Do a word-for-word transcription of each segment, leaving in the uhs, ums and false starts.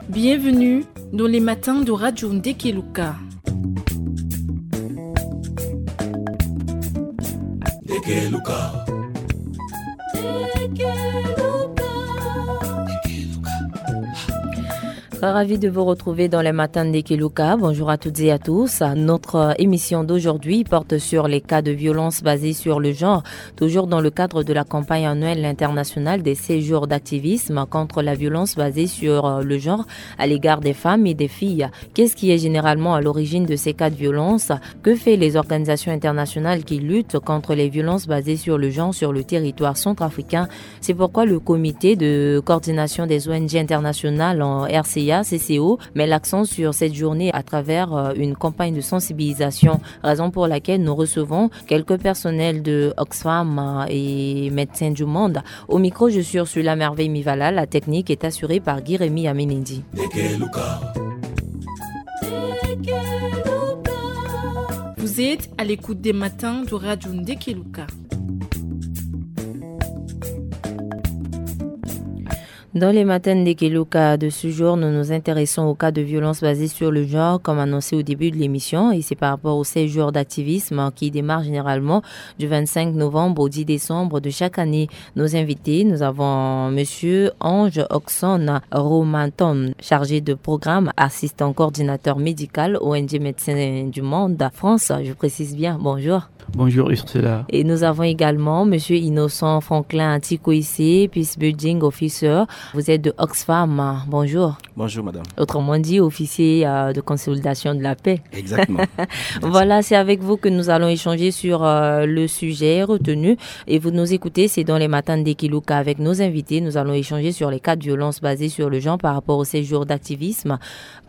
Bienvenue dans les matins de Radio Ndekeluka. Très ravi de vous retrouver dans les matins de Ndekeluka. Bonjour à toutes et à tous. Notre émission d'aujourd'hui porte sur les cas de violence basés sur le genre, toujours dans le cadre de la campagne annuelle internationale des seize jours d'activisme contre la violence basée sur le genre à l'égard des femmes et des filles. Qu'est-ce qui est généralement à l'origine de ces cas de violence ? Que fait les organisations internationales qui luttent contre les violences basées sur le genre sur le territoire centrafricain ? C'est pourquoi le comité de coordination des O N G internationales en R C A, C C O, met l'accent sur cette journée à travers, euh, une campagne de sensibilisation, raison pour laquelle nous recevons quelques personnels de Oxfam, euh, et Médecins du Monde. Au micro, je suis Ursula Merveille Mivala. La technique est assurée par Guy Rémy Aminindi. Vous êtes à l'écoute des matins de Radio Ndekeluka. Dans les matins de Ndekeluka de ce jour, nous nous intéressons au cas de violence basée sur le genre, comme annoncé au début de l'émission, et c'est par rapport aux seize jours d'activisme qui démarrent généralement du vingt-cinq novembre au dix décembre de chaque année. Nos invités, nous avons monsieur Ange Oxon Romanton, chargé de programme, assistant coordinateur médical O N G Médecins du Monde France, je précise bien. Bonjour. Bonjour Ursula. Et nous avons également monsieur Innocent Franklin Tikoïsé, Peace Building Officer. Vous êtes de Oxfam. Bonjour. Bonjour madame. Autrement dit, officier, euh, de consolidation de la paix. Exactement. Merci. Voilà, c'est avec vous que nous allons échanger sur, euh, le sujet retenu. Et vous nous écoutez, c'est dans les matins de Ndekeluka avec nos invités. Nous allons échanger sur les cas de violence basés sur le genre par rapport aux seize jours d'activisme.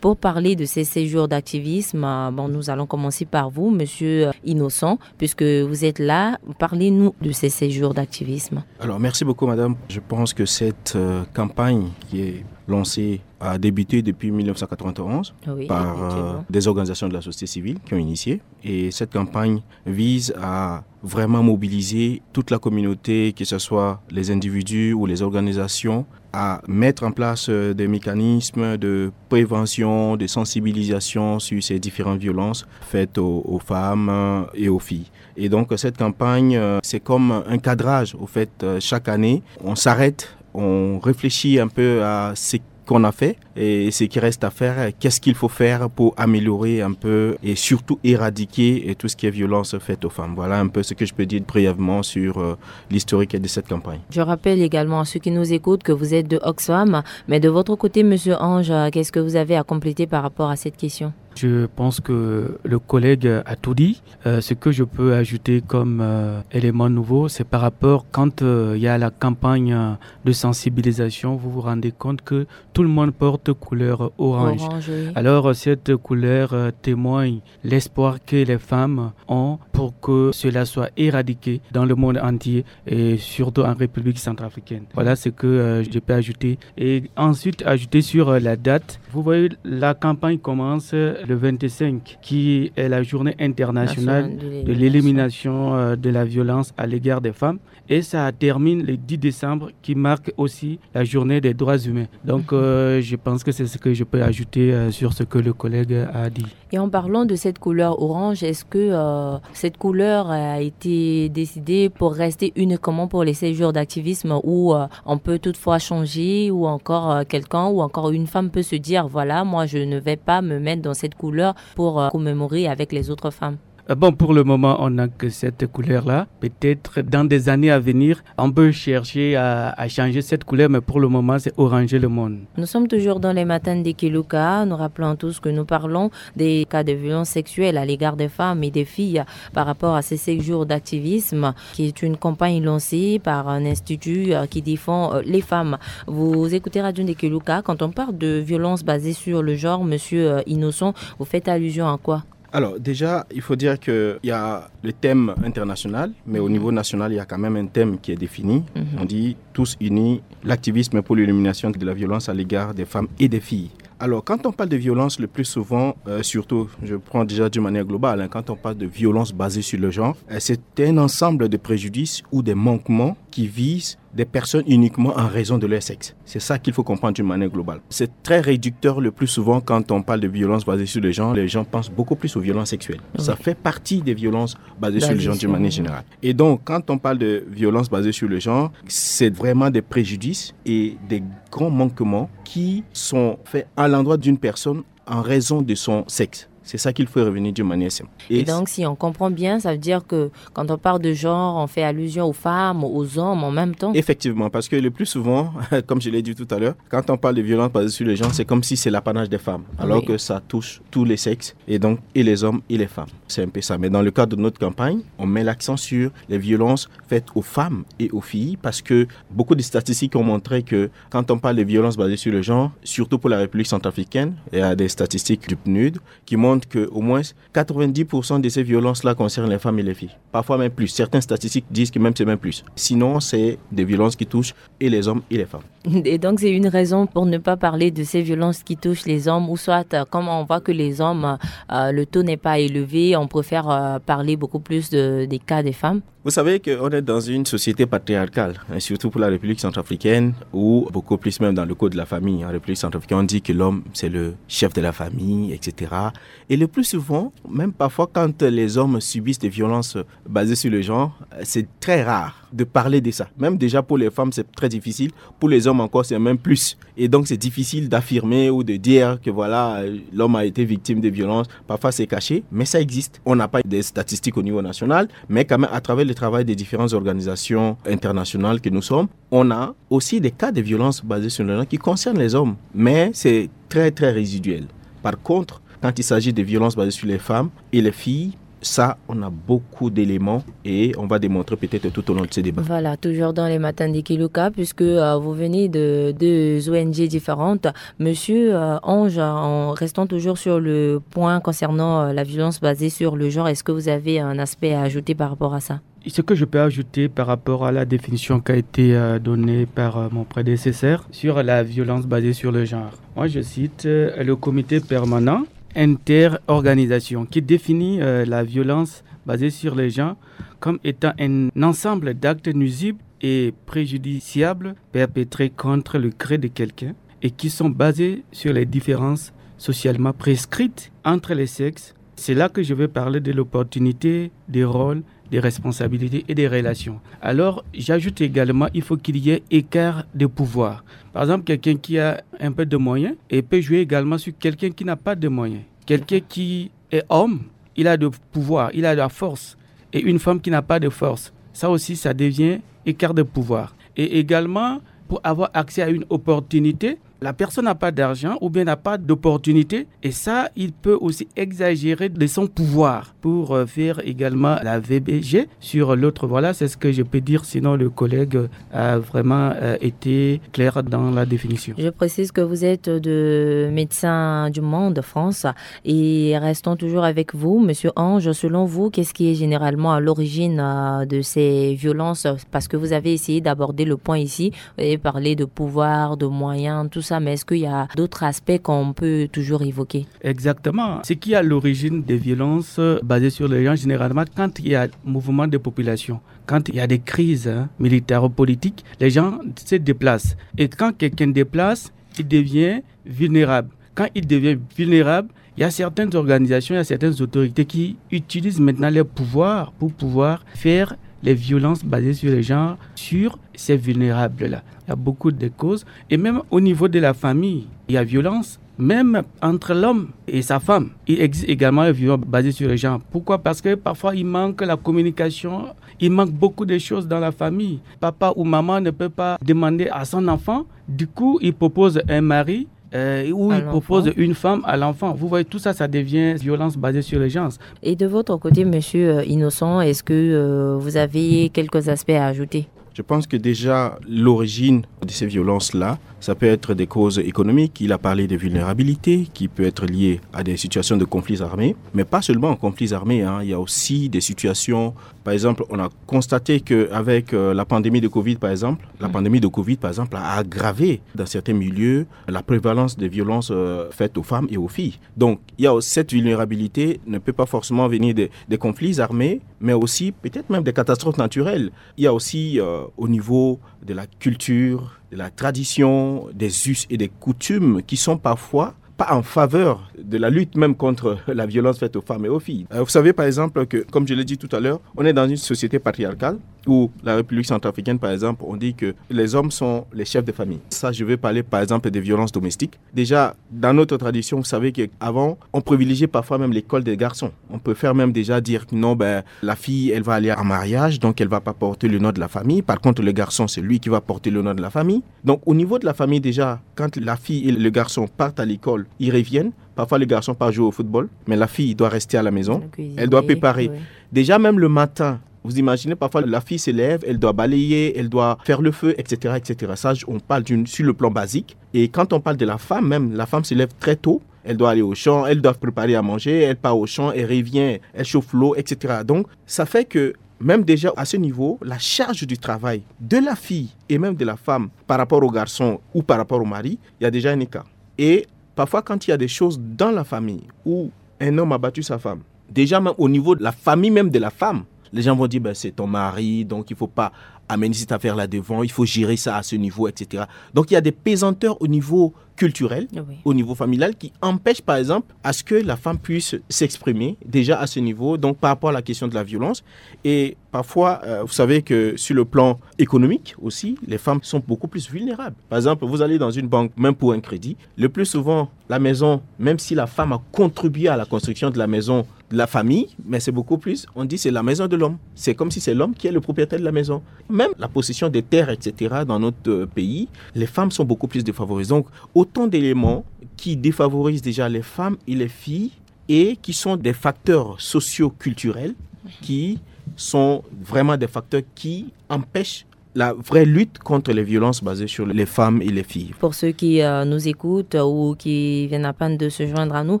Pour parler de ces seize jours d'activisme, euh, bon, nous allons commencer par vous, monsieur, euh, Innocent, puisque vous êtes là. Parlez-nous de ces seize jours d'activisme. Alors, merci beaucoup, madame. Je pense que cette, euh, campagne qui est lancée a débuté depuis mille neuf cent quatre-vingt-onze. Oui, par, euh, effectivement, des organisations de la société civile qui ont initié. Et cette campagne vise à vraiment mobiliser toute la communauté, que ce soit les individus ou les organisations, à mettre en place, euh, des mécanismes de prévention, de sensibilisation sur ces différentes violences faites aux, aux femmes, euh, et aux filles. Et donc, cette campagne, euh, c'est comme un cadrage. Au fait, euh, chaque année, on s'arrête, on réfléchit un peu à ce qu'on a fait et ce qui reste à faire, qu'est-ce qu'il faut faire pour améliorer un peu et surtout éradiquer, et tout ce qui est violence faite aux femmes. Voilà un peu ce que je peux dire brièvement sur, euh, l'historique de cette campagne. Je rappelle également à ceux qui nous écoutent que vous êtes de Oxfam, mais de votre côté, monsieur Ange, euh, qu'est-ce que vous avez à compléter par rapport à cette question ? Je pense que le collègue a tout dit. Euh, ce que je peux ajouter comme, euh, élément nouveau, c'est par rapport quand, euh, il y a la campagne, euh, de sensibilisation, vous vous rendez compte que tout le monde porte couleur orange. Orange, oui. Alors, euh, cette couleur, euh, témoigne l'espoir que les femmes ont pour que cela soit éradiqué dans le monde entier et surtout en République centrafricaine. Voilà ce que, euh, je peux ajouter. Et ensuite, ajouter sur, euh, la date. Vous voyez, la campagne commence, euh, le vingt-cinq, qui est la journée internationale de l'élimination, euh, de la violence à l'égard des femmes. Et ça termine le dix décembre, qui marque aussi la journée des droits humains. Donc, euh, je pense que c'est ce que je peux ajouter, euh, sur ce que le collègue a dit. Et en parlant de cette couleur orange, est-ce que, euh, cette couleur a été décidée pour rester uniquement pour les seize jours d'activisme ou, euh, on peut toutefois changer ou encore, euh, quelqu'un ou encore une femme peut se dire, voilà, moi je ne vais pas me mettre dans cette couleur pour, euh, commémorer avec les autres femmes ? Euh, bon, pour le moment, on n'a que cette couleur-là. Peut-être dans des années à venir, on peut chercher à, à changer cette couleur, mais pour le moment, c'est oranger le monde. Nous sommes toujours dans les matins de Ndekeluka. Nous rappelons tous que nous parlons des cas de violence sexuelle à l'égard des femmes et des filles par rapport à ces seize jours d'activisme, qui est une campagne lancée par un institut, euh, qui défend, euh, les femmes. Vous écoutez Radio Ndekeluka. Quand on parle de violence basée sur le genre, monsieur, euh, Innocent, vous faites allusion à quoi ? Alors, déjà, il faut dire qu'il y a le thème international, mais au niveau national, il y a quand même un thème qui est défini. On dit tous unis, l'activisme pour l'élimination de la violence à l'égard des femmes et des filles. Alors, quand on parle de violence, le plus souvent, euh, surtout, je prends déjà d'une manière globale, hein, quand on parle de violence basée sur le genre, euh, c'est un ensemble de préjudices ou des manquements qui vise des personnes uniquement en raison de leur sexe. C'est ça qu'il faut comprendre d'une manière globale. C'est très réducteur le plus souvent quand on parle de violence basée sur le genre. Les gens pensent beaucoup plus aux violences sexuelles. Oui. Ça fait partie des violences basées sur le genre d'une manière générale. Et donc, quand on parle de violence basée sur le genre, c'est vraiment des préjudices et des grands manquements qui sont faits à l'endroit d'une personne en raison de son sexe. C'est ça qu'il faut revenir d'une manière simple. Et donc, si on comprend bien, ça veut dire que quand on parle de genre, on fait allusion aux femmes, aux hommes en même temps. Effectivement, parce que le plus souvent, comme je l'ai dit tout à l'heure, quand on parle de violence basée sur le genre, c'est comme si c'est l'apanage des femmes, alors que ça touche tous les sexes, et donc et les hommes et les femmes. C'est un peu ça. Mais dans le cadre de notre campagne, on met l'accent sur les violences faites aux femmes et aux filles, parce que beaucoup de statistiques ont montré que quand on parle de violence basée sur le genre, surtout pour la République centrafricaine, il y a des statistiques du PNUD qui montrent qu'au moins quatre-vingt-dix pour cent de ces violences-là concernent les femmes et les filles. Parfois même plus. Certaines statistiques disent que même c'est même plus. Sinon, c'est des violences qui touchent et les hommes et les femmes. Et donc, c'est une raison pour ne pas parler de ces violences qui touchent les hommes, ou soit, euh, comme on voit que les hommes, euh, le taux n'est pas élevé, on préfère, euh, parler beaucoup plus de, des cas des femmes. Vous savez qu'on est dans une société patriarcale, hein, surtout pour la République centrafricaine, ou beaucoup plus même dans le code de la famille. En République centrafricaine, on dit que l'homme, c'est le chef de la famille, et cetera. Et le plus souvent, même parfois quand les hommes subissent des violences basées sur le genre, euh, c'est très rare de parler de ça. Même déjà pour les femmes, c'est très difficile. Pour les hommes encore, c'est même plus. Et donc, c'est difficile d'affirmer ou de dire que voilà, euh, l'homme a été victime de violence. Parfois, c'est caché, mais ça existe. On n'a pas des statistiques au niveau national, mais quand même, à travers le travail des différentes organisations internationales que nous sommes, on a aussi des cas de violence basées sur le genre qui concernent les hommes. Mais c'est très, très résiduel. Par contre, quand il s'agit de violences basées sur les femmes et les filles, ça, on a beaucoup d'éléments et on va démontrer peut-être tout au long de ce débat. Voilà, toujours dans les matins de Kiluka, puisque, euh, vous venez de deux O N G différentes. Monsieur, euh, Ange, en restant toujours sur le point concernant, euh, la violence basée sur le genre, est-ce que vous avez un aspect à ajouter par rapport à ça ? Ce que je peux ajouter par rapport à la définition qui a été, euh, donnée par, euh, mon prédécesseur sur la violence basée sur le genre. Moi, je cite, euh, le comité permanent interorganisation qui définit, euh, la violence basée sur les genres comme étant un ensemble d'actes nuisibles et préjudiciables perpétrés contre le cré de quelqu'un et qui sont basés sur les différences socialement prescrites entre les sexes. C'est là que je vais parler de l'opportunité, des rôles, des responsabilités et des relations. Alors, j'ajoute également, il faut qu'il y ait écart de pouvoir. Par exemple, quelqu'un qui a un peu de moyens et peut jouer également sur quelqu'un qui n'a pas de moyens. Quelqu'un qui est homme, il a de pouvoir, il a de la force. Et une femme qui n'a pas de force, ça aussi, ça devient écart de pouvoir. Et également, pour avoir accès à une opportunité, la personne n'a pas d'argent ou bien n'a pas d'opportunité. Et ça, il peut aussi exagérer de son pouvoir pour, euh, faire également la V B G sur l'autre. Voilà, c'est ce que je peux dire. Sinon, le collègue a vraiment, euh, été clair dans la définition. Je précise que vous êtes de Médecins du Monde France et restons toujours avec vous, Monsieur Ange. Selon vous, qu'est-ce qui est généralement à l'origine, euh, de ces violences ? Parce que vous avez essayé d'aborder le point ici et parler de pouvoir, de moyens, tout ça. Mais est-ce qu'il y a d'autres aspects qu'on peut toujours évoquer ? Exactement. Ce qui est à l'origine des violences, euh, basées sur les genres, généralement, quand il y a mouvement de population, quand il y a des crises, hein, militaro-politiques, les gens se déplacent. Et quand quelqu'un déplace, il devient vulnérable. Quand il devient vulnérable, il y a certaines organisations, il y a certaines autorités qui utilisent maintenant leur pouvoir pour pouvoir faire les violences basées sur les genres sur ces vulnérables-là. Il y a beaucoup de causes. Et même au niveau de la famille, il y a violence. Même entre l'homme et sa femme, il existe également une violence basée sur les genres. Pourquoi ? Parce que parfois, il manque la communication, il manque beaucoup de choses dans la famille. Papa ou maman ne peut pas demander à son enfant. Du coup, il propose un mari, euh, ou il propose une femme à l'enfant. Vous voyez, tout ça, ça devient violence basée sur les genres. Et de votre côté, Monsieur, euh, Innocent, est-ce que, euh, vous avez quelques aspects à ajouter ? Je pense que déjà, l'origine de ces violences-là, ça peut être des causes économiques. Il a parlé de vulnérabilité qui peut être liée à des situations de conflits armés, mais pas seulement en conflits armés, hein. Il y a aussi des situations Par exemple, on a constaté qu'avec euh, la pandémie de Covid, par exemple, la pandémie de Covid, par exemple, a aggravé dans certains milieux la prévalence des violences euh, faites aux femmes et aux filles. Donc, il y a cette vulnérabilité ne peut pas forcément venir des, des conflits armés, mais aussi peut-être même des catastrophes naturelles. Il y a aussi euh, au niveau de la culture, de la tradition, des us et des coutumes qui sont parfois pas en faveur de la lutte même contre la violence faite aux femmes et aux filles. Euh, vous savez par exemple que, comme je l'ai dit tout à l'heure, on est dans une société patriarcale où la République centrafricaine, par exemple, on dit que les hommes sont les chefs de famille. Ça, je vais parler par exemple des violences domestiques. Déjà, dans notre tradition, vous savez qu'avant, on privilégiait parfois même l'école des garçons. On préfère même déjà dire que non, ben, la fille, elle va aller en mariage, donc elle va pas porter le nom de la famille. Par contre, le garçon, c'est lui qui va porter le nom de la famille. Donc, au niveau de la famille, déjà, quand la fille et le garçon partent à l'école, ils reviennent. Parfois, le garçon part jouer au football, mais la fille doit rester à la maison. Elle doit préparer. Déjà, même le matin, vous imaginez, parfois, la fille se lève, elle doit balayer, elle doit faire le feu, et cetera, et cetera. Ça, on parle d'une, sur le plan basique. Et quand on parle de la femme, même, la femme se lève très tôt. Elle doit aller au champ, elle doit préparer à manger, elle part au champ, elle revient, elle chauffe l'eau, et cetera. Donc, ça fait que même déjà à ce niveau, la charge du travail de la fille et même de la femme par rapport au garçon ou par rapport au mari, il y a déjà un écart. Et parfois, quand il y a des choses dans la famille où un homme a battu sa femme, déjà même au niveau de la famille même de la femme, les gens vont dire, ben, c'est ton mari, donc il ne faut pas amener cette affaire-là devant, il faut gérer ça à ce niveau, et cetera. Donc il y a des pesanteurs au niveau culturel, au niveau familial, qui empêchent par exemple à ce que la femme puisse s'exprimer déjà à ce niveau, donc par rapport à la question de la violence. Et parfois, euh, vous savez que sur le plan économique aussi, les femmes sont beaucoup plus vulnérables. Par exemple, vous allez dans une banque, même pour un crédit, le plus souvent, la maison, même si la femme a contribué à la construction de la maison, de la famille, mais c'est beaucoup plus, on dit c'est la maison de l'homme. C'est comme si c'est l'homme qui est le propriétaire de la maison. Même la possession des terres, et cetera, dans notre euh, pays, les femmes sont beaucoup plus défavorisées. Donc, autant d'éléments qui défavorisent déjà les femmes et les filles et qui sont des facteurs socio-culturels qui sont vraiment des facteurs qui empêchent la vraie lutte contre les violences basées sur les femmes et les filles. Pour ceux qui euh, nous écoutent ou qui viennent à peine de se joindre à nous,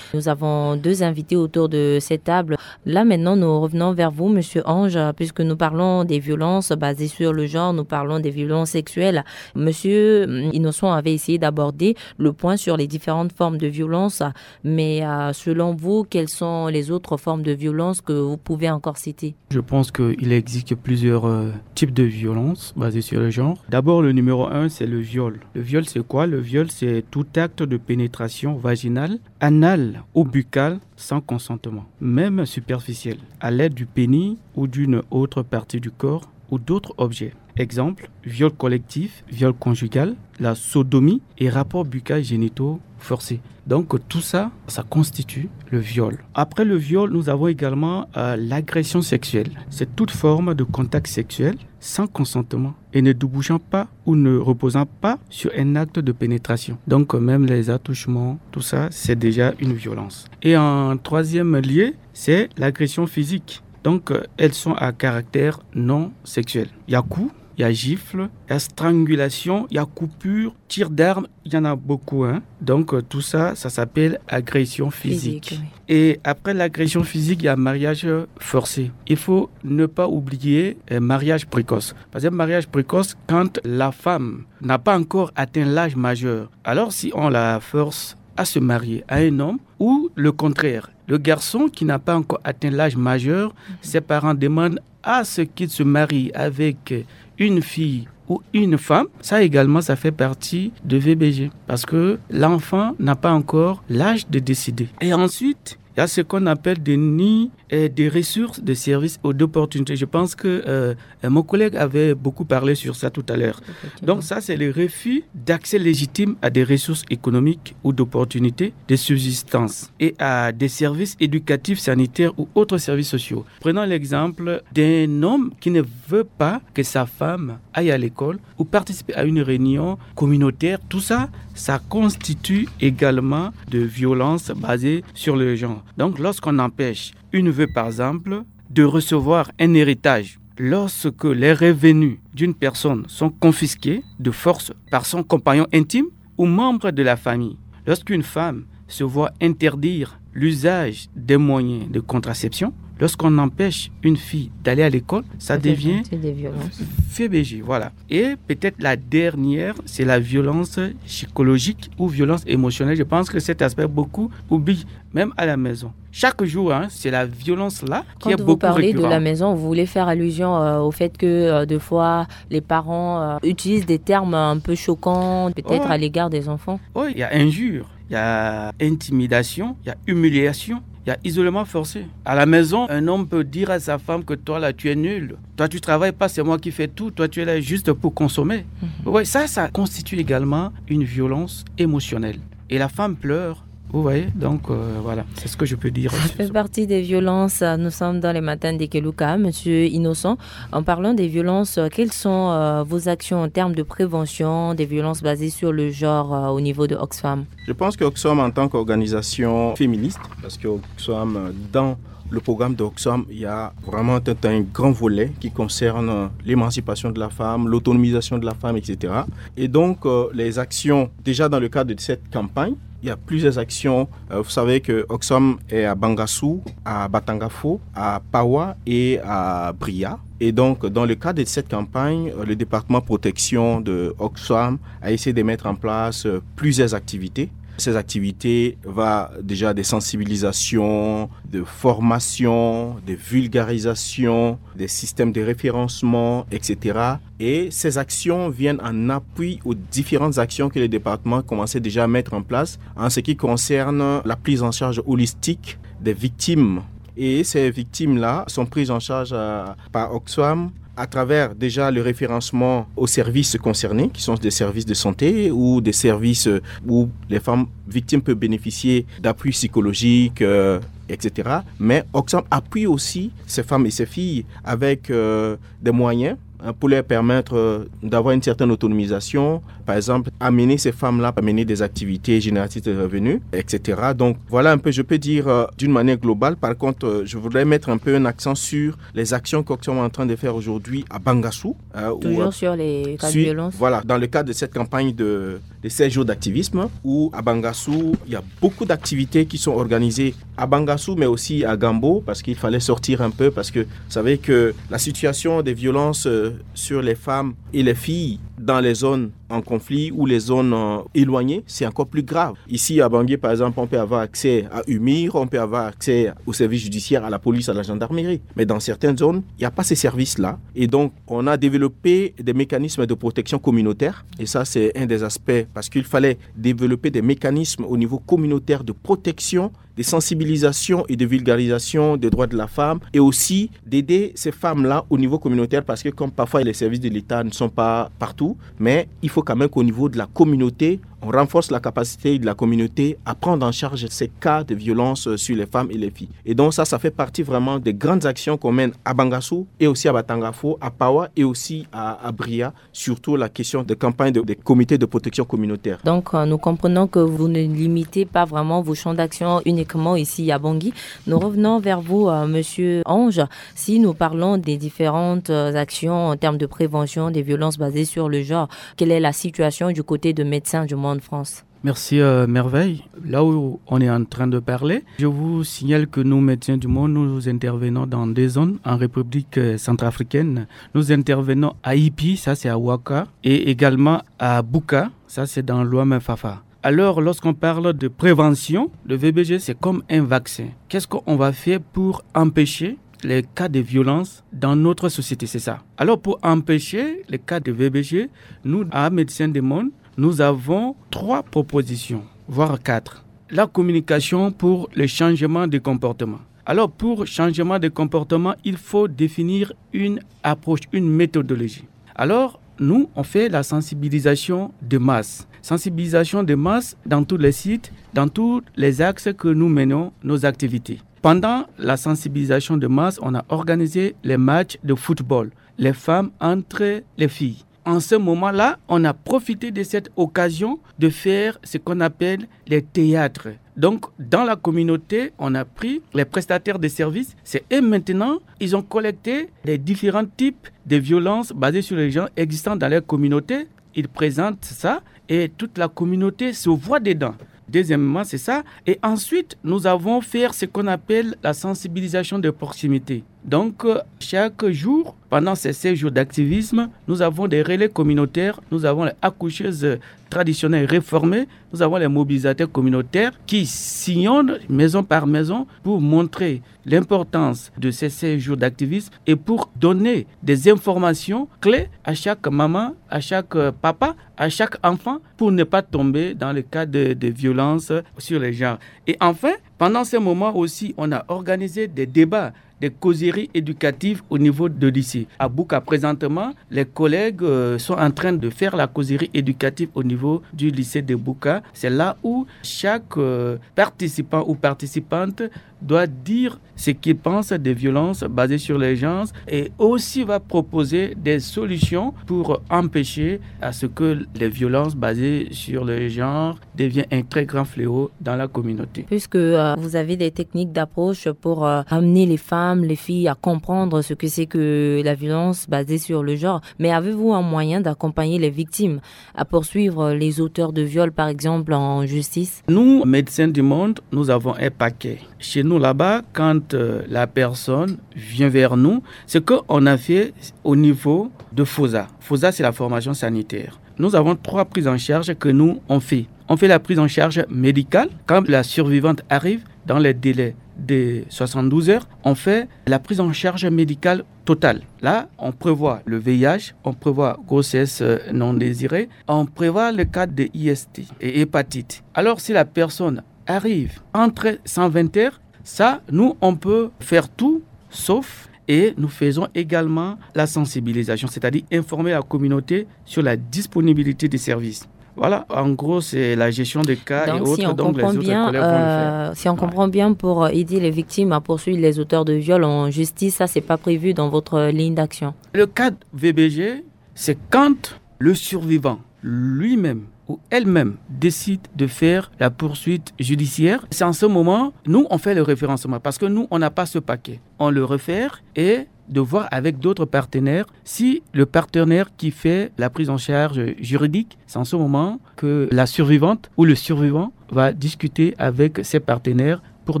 nous avons deux invités autour de cette table. Là, maintenant, nous revenons vers vous, Monsieur Ange, puisque nous parlons des violences basées sur le genre, nous parlons des violences sexuelles. Monsieur hum, Innocent avait essayé d'aborder le point sur les différentes formes de violence, mais euh, selon vous, quelles sont les autres formes de violence que vous pouvez encore citer ? Je pense qu'il existe plusieurs euh, types de violences basées sur le genre. D'abord, le numéro un, c'est le viol. Le viol, c'est quoi ? Le viol, c'est tout acte de pénétration vaginale, anale ou buccale sans consentement, même superficielle, à l'aide du pénis ou d'une autre partie du corps ou d'autres objets. Exemple, viol collectif, viol conjugal, la sodomie et rapports buccaux génitaux forcés. Donc tout ça, ça constitue le viol. Après le viol, nous avons également euh, l'agression sexuelle. C'est toute forme de contact sexuel sans consentement et ne débouchant pas ou ne reposant pas sur un acte de pénétration. Donc euh, même les attouchements, tout ça, c'est déjà une violence. Et en troisième lieu, c'est l'agression physique. Donc euh, elles sont à caractère non sexuel. Il y a coup, il y a gifle, il y a strangulation, il y a coupure, tir d'arme, il y en a beaucoup. Hein. Donc euh, tout ça, ça s'appelle agression physique. Physique, oui. Et après l'agression physique, il y a mariage forcé. Il faut ne pas oublier euh, mariage précoce. Parce que mariage précoce, quand la femme n'a pas encore atteint l'âge majeur, alors si on la force à se marier à un homme, ou le contraire, le garçon qui n'a pas encore atteint l'âge majeur, ses parents demandent à ce qu'il se marie avec une fille ou une femme, ça également, ça fait partie de V B G. Parce que l'enfant n'a pas encore l'âge de décider. Et ensuite, il y a ce qu'on appelle des nids et des ressources, des services ou d'opportunités. Je pense que euh, euh, mon collègue avait beaucoup parlé sur ça tout à l'heure. Donc ça, c'est le refus d'accès légitime à des ressources économiques ou d'opportunités de subsistance et à des services éducatifs, sanitaires ou autres services sociaux. Prenons l'exemple d'un homme qui ne veut pas que sa femme aille à l'école ou participer à une réunion communautaire. Tout ça, ça constitue également de violence basée sur le genre. Donc lorsqu'on empêche une veuve, par exemple, de recevoir un héritage, lorsque les revenus d'une personne sont confisqués de force par son compagnon intime ou membre de la famille, lorsqu'une femme se voit interdire l'usage des moyens de contraception, Lorsqu'on empêche une fille d'aller à l'école, ça devient des violences. V B G, voilà. Et peut-être la dernière, c'est la violence psychologique ou violence émotionnelle. Je pense que cet aspect, beaucoup oublient, même à la maison. Chaque jour, hein, c'est la violence-là qui est Quand vous beaucoup parlez de récurrente. La maison, vous voulez faire allusion euh, au fait que euh, de fois les parents euh, utilisent des termes un peu choquants, peut-être Oh. À l'égard des enfants. Oh, il y a injure, il y a intimidation, il y a humiliation, il y a isolement forcé. À la maison, un homme peut dire à sa femme que toi là, tu es nul. Toi, tu travailles pas, c'est moi qui fais tout. Toi, tu es là juste pour consommer. Oui, ça, ça constitue également une violence émotionnelle. Et la femme pleure. Vous voyez, donc euh, voilà, c'est ce que je peux dire. Ça fait partie des violences. Nous sommes dans les matins de Keluka, monsieur Innocent. En parlant des violences, quelles sont euh, vos actions en termes de prévention des violences basées sur le genre euh, au niveau de Oxfam ? Je pense que Oxfam, en tant qu'organisation féministe, parce que Oxfam, euh, dans le programme d'Oxfam, il y a vraiment un, un grand volet qui concerne l'émancipation de la femme, l'autonomisation de la femme, et cetera. Et donc, euh, les actions, déjà dans le cadre de cette campagne, il y a plusieurs actions. Euh, vous savez que Oxfam est à Bangassou, à Batangafo, à Pawa et à Bria. Et donc, dans le cadre de cette campagne, euh, le département protection de Oxfam a essayé de mettre en place euh, plusieurs activités. Ces activités vont déjà des sensibilisations, de formation, de vulgarisation, des systèmes de référencement, et cetera. Et ces actions viennent en appui aux différentes actions que le département commençait déjà à mettre en place en ce qui concerne la prise en charge holistique des victimes. Et ces victimes-là sont prises en charge euh, par Oxfam à travers déjà le référencement aux services concernés, qui sont des services de santé ou des services euh, où les femmes victimes peuvent bénéficier d'appui psychologique, euh, et cetera. Mais Oxfam appuie aussi ces femmes et ces filles avec euh, des moyens hein, pour leur permettre euh, d'avoir une certaine autonomisation. Par exemple, amener ces femmes-là à mener des activités génératrices de revenus, et cetera. Donc voilà un peu, je peux dire euh, d'une manière globale. Par contre, euh, je voudrais mettre un peu un accent sur les actions qu'Oxfam est en train de faire aujourd'hui à Bangassou. euh, où, Toujours euh, sur les cas de suit- violence. Voilà, dans le cadre de cette campagne de, de seize jours d'activisme, où à Bangassou, il y a beaucoup d'activités qui sont organisées à Bangassou, mais aussi à Gambo, parce qu'il fallait sortir un peu, parce que vous savez que la situation des violences euh, sur les femmes et les filles dans les zones en conflit ou les zones euh, éloignées, c'est encore plus grave. Ici, à Bangui, par exemple, on peut avoir accès à UMIR, on peut avoir accès au service judiciaire, à la police, à la gendarmerie. Mais dans certaines zones, il n'y a pas ces services-là. Et donc, on a développé des mécanismes de protection communautaire. Et ça, c'est un des aspects, parce qu'il fallait développer des mécanismes au niveau communautaire de protection, de sensibilisation et de vulgarisation des droits de la femme, et aussi d'aider ces femmes-là au niveau communautaire, parce que comme parfois les services de l'État ne sont pas partout, mais il faut quand même qu'au niveau de la communauté, on renforce la capacité de la communauté à prendre en charge ces cas de violence euh, sur les femmes et les filles. Et donc ça, ça fait partie vraiment des grandes actions qu'on mène à Bangassou et aussi à Batangafo, à Pawa et aussi à, à Bria, surtout la question de campagne de- des comités de protection communautaire. Donc, euh, nous comprenons que vous ne limitez pas vraiment vos champs d'action uniquement ici à Bangui. Nous revenons vers vous, euh, monsieur Ange. Si nous parlons des différentes euh, actions en termes de prévention des violences basées sur le genre, quelle est la situation du côté de Médecins du Monde France ? Merci euh, Merveille. Là où on est en train de parler, je vous signale que nous, Médecins du Monde, nous intervenons dans des zones en République euh, centrafricaine. Nous intervenons à Ipi, ça c'est à Ouaka, et également à Bouka, ça c'est dans l'Ouest-Fafa. Alors, lorsqu'on parle de prévention, le V B G, c'est comme un vaccin. Qu'est-ce qu'on va faire pour empêcher les cas de violence dans notre société ? C'est ça. Alors, pour empêcher les cas de V B G, nous, à Médecins du Monde, nous avons trois propositions, voire quatre. La communication pour le changement de comportement. Alors, pour changement de comportement, il faut définir une approche, une méthodologie. Alors, nous, on fait la sensibilisation de masse. Sensibilisation de masse dans tous les sites, dans tous les axes que nous menons nos activités. Pendant la sensibilisation de masse, on a organisé les matchs de football, les femmes entre les filles. En ce moment-là, on a profité de cette occasion de faire ce qu'on appelle les théâtres. Donc, dans la communauté, on a pris les prestataires de services. C'est eux maintenant, ils ont collecté les différents types de violences basées sur les genres existant dans leur communauté. Ils présentent ça et toute la communauté se voit dedans. Deuxièmement, c'est ça. Et ensuite, nous avons fait ce qu'on appelle la sensibilisation de proximité. Donc, euh, chaque jour, pendant ces seize jours d'activisme, nous avons des relais communautaires, nous avons les accoucheuses traditionnelles réformées, nous avons les mobilisateurs communautaires qui sillonnent maison par maison pour montrer l'importance de ces seize jours d'activisme et pour donner des informations clés à chaque maman, à chaque, euh, papa, à chaque enfant pour ne pas tomber dans le cas de, de violence sur les genres. Et enfin, pendant ce moment aussi, on a organisé des débats, des causeries éducatives au niveau de lycée. À Buka, présentement, les collègues, euh, sont en train de faire la causerie éducative au niveau du lycée de Buka. C'est là où chaque, euh, participant ou participante doit dire ce qu'il pense des violences basées sur les genres et aussi va proposer des solutions pour empêcher à ce que les violences basées sur le genre deviennent un très grand fléau dans la communauté. Puisque, euh, vous avez des techniques d'approche pour, euh, amener les femmes, les filles à comprendre ce que c'est que la violence basée sur le genre, mais avez-vous un moyen d'accompagner les victimes à poursuivre les auteurs de viol, par exemple, en justice ? Nous, Médecins du Monde, nous avons un paquet. Chez nous, là-bas, quand, euh, la personne vient vers nous, ce qu'on a fait au niveau de FOSA. FOSA, c'est la formation sanitaire. Nous avons trois prises en charge que nous, on fait. On fait la prise en charge médicale quand la survivante arrive dans les délais de soixante-douze heures. On fait la prise en charge médicale totale. Là, on prévoit le V I H, on prévoit grossesse, euh, non désirée, on prévoit le cas de I S T et hépatite. Alors, si la personne arrive entre cent vingt heures, ça, nous, on peut faire tout sauf, et nous faisons également la sensibilisation, c'est-à-dire informer la communauté sur la disponibilité des services. Voilà, en gros, c'est la gestion des cas et autres, donc les autres collègues vont le faire. Donc, si on comprend bien, euh, si on comprend bien, pour, euh, aider les victimes à poursuivre les auteurs de viol en justice, ça, c'est pas prévu dans votre ligne d'action. Le cadre V B G, c'est quand le survivant lui-même ou elle-même décide de faire la poursuite judiciaire. C'est en ce moment, nous, on fait le référencement parce que nous, on n'a pas ce paquet. On le réfère et de voir avec d'autres partenaires si le partenaire qui fait la prise en charge juridique, c'est en ce moment que la survivante ou le survivant va discuter avec ses partenaires pour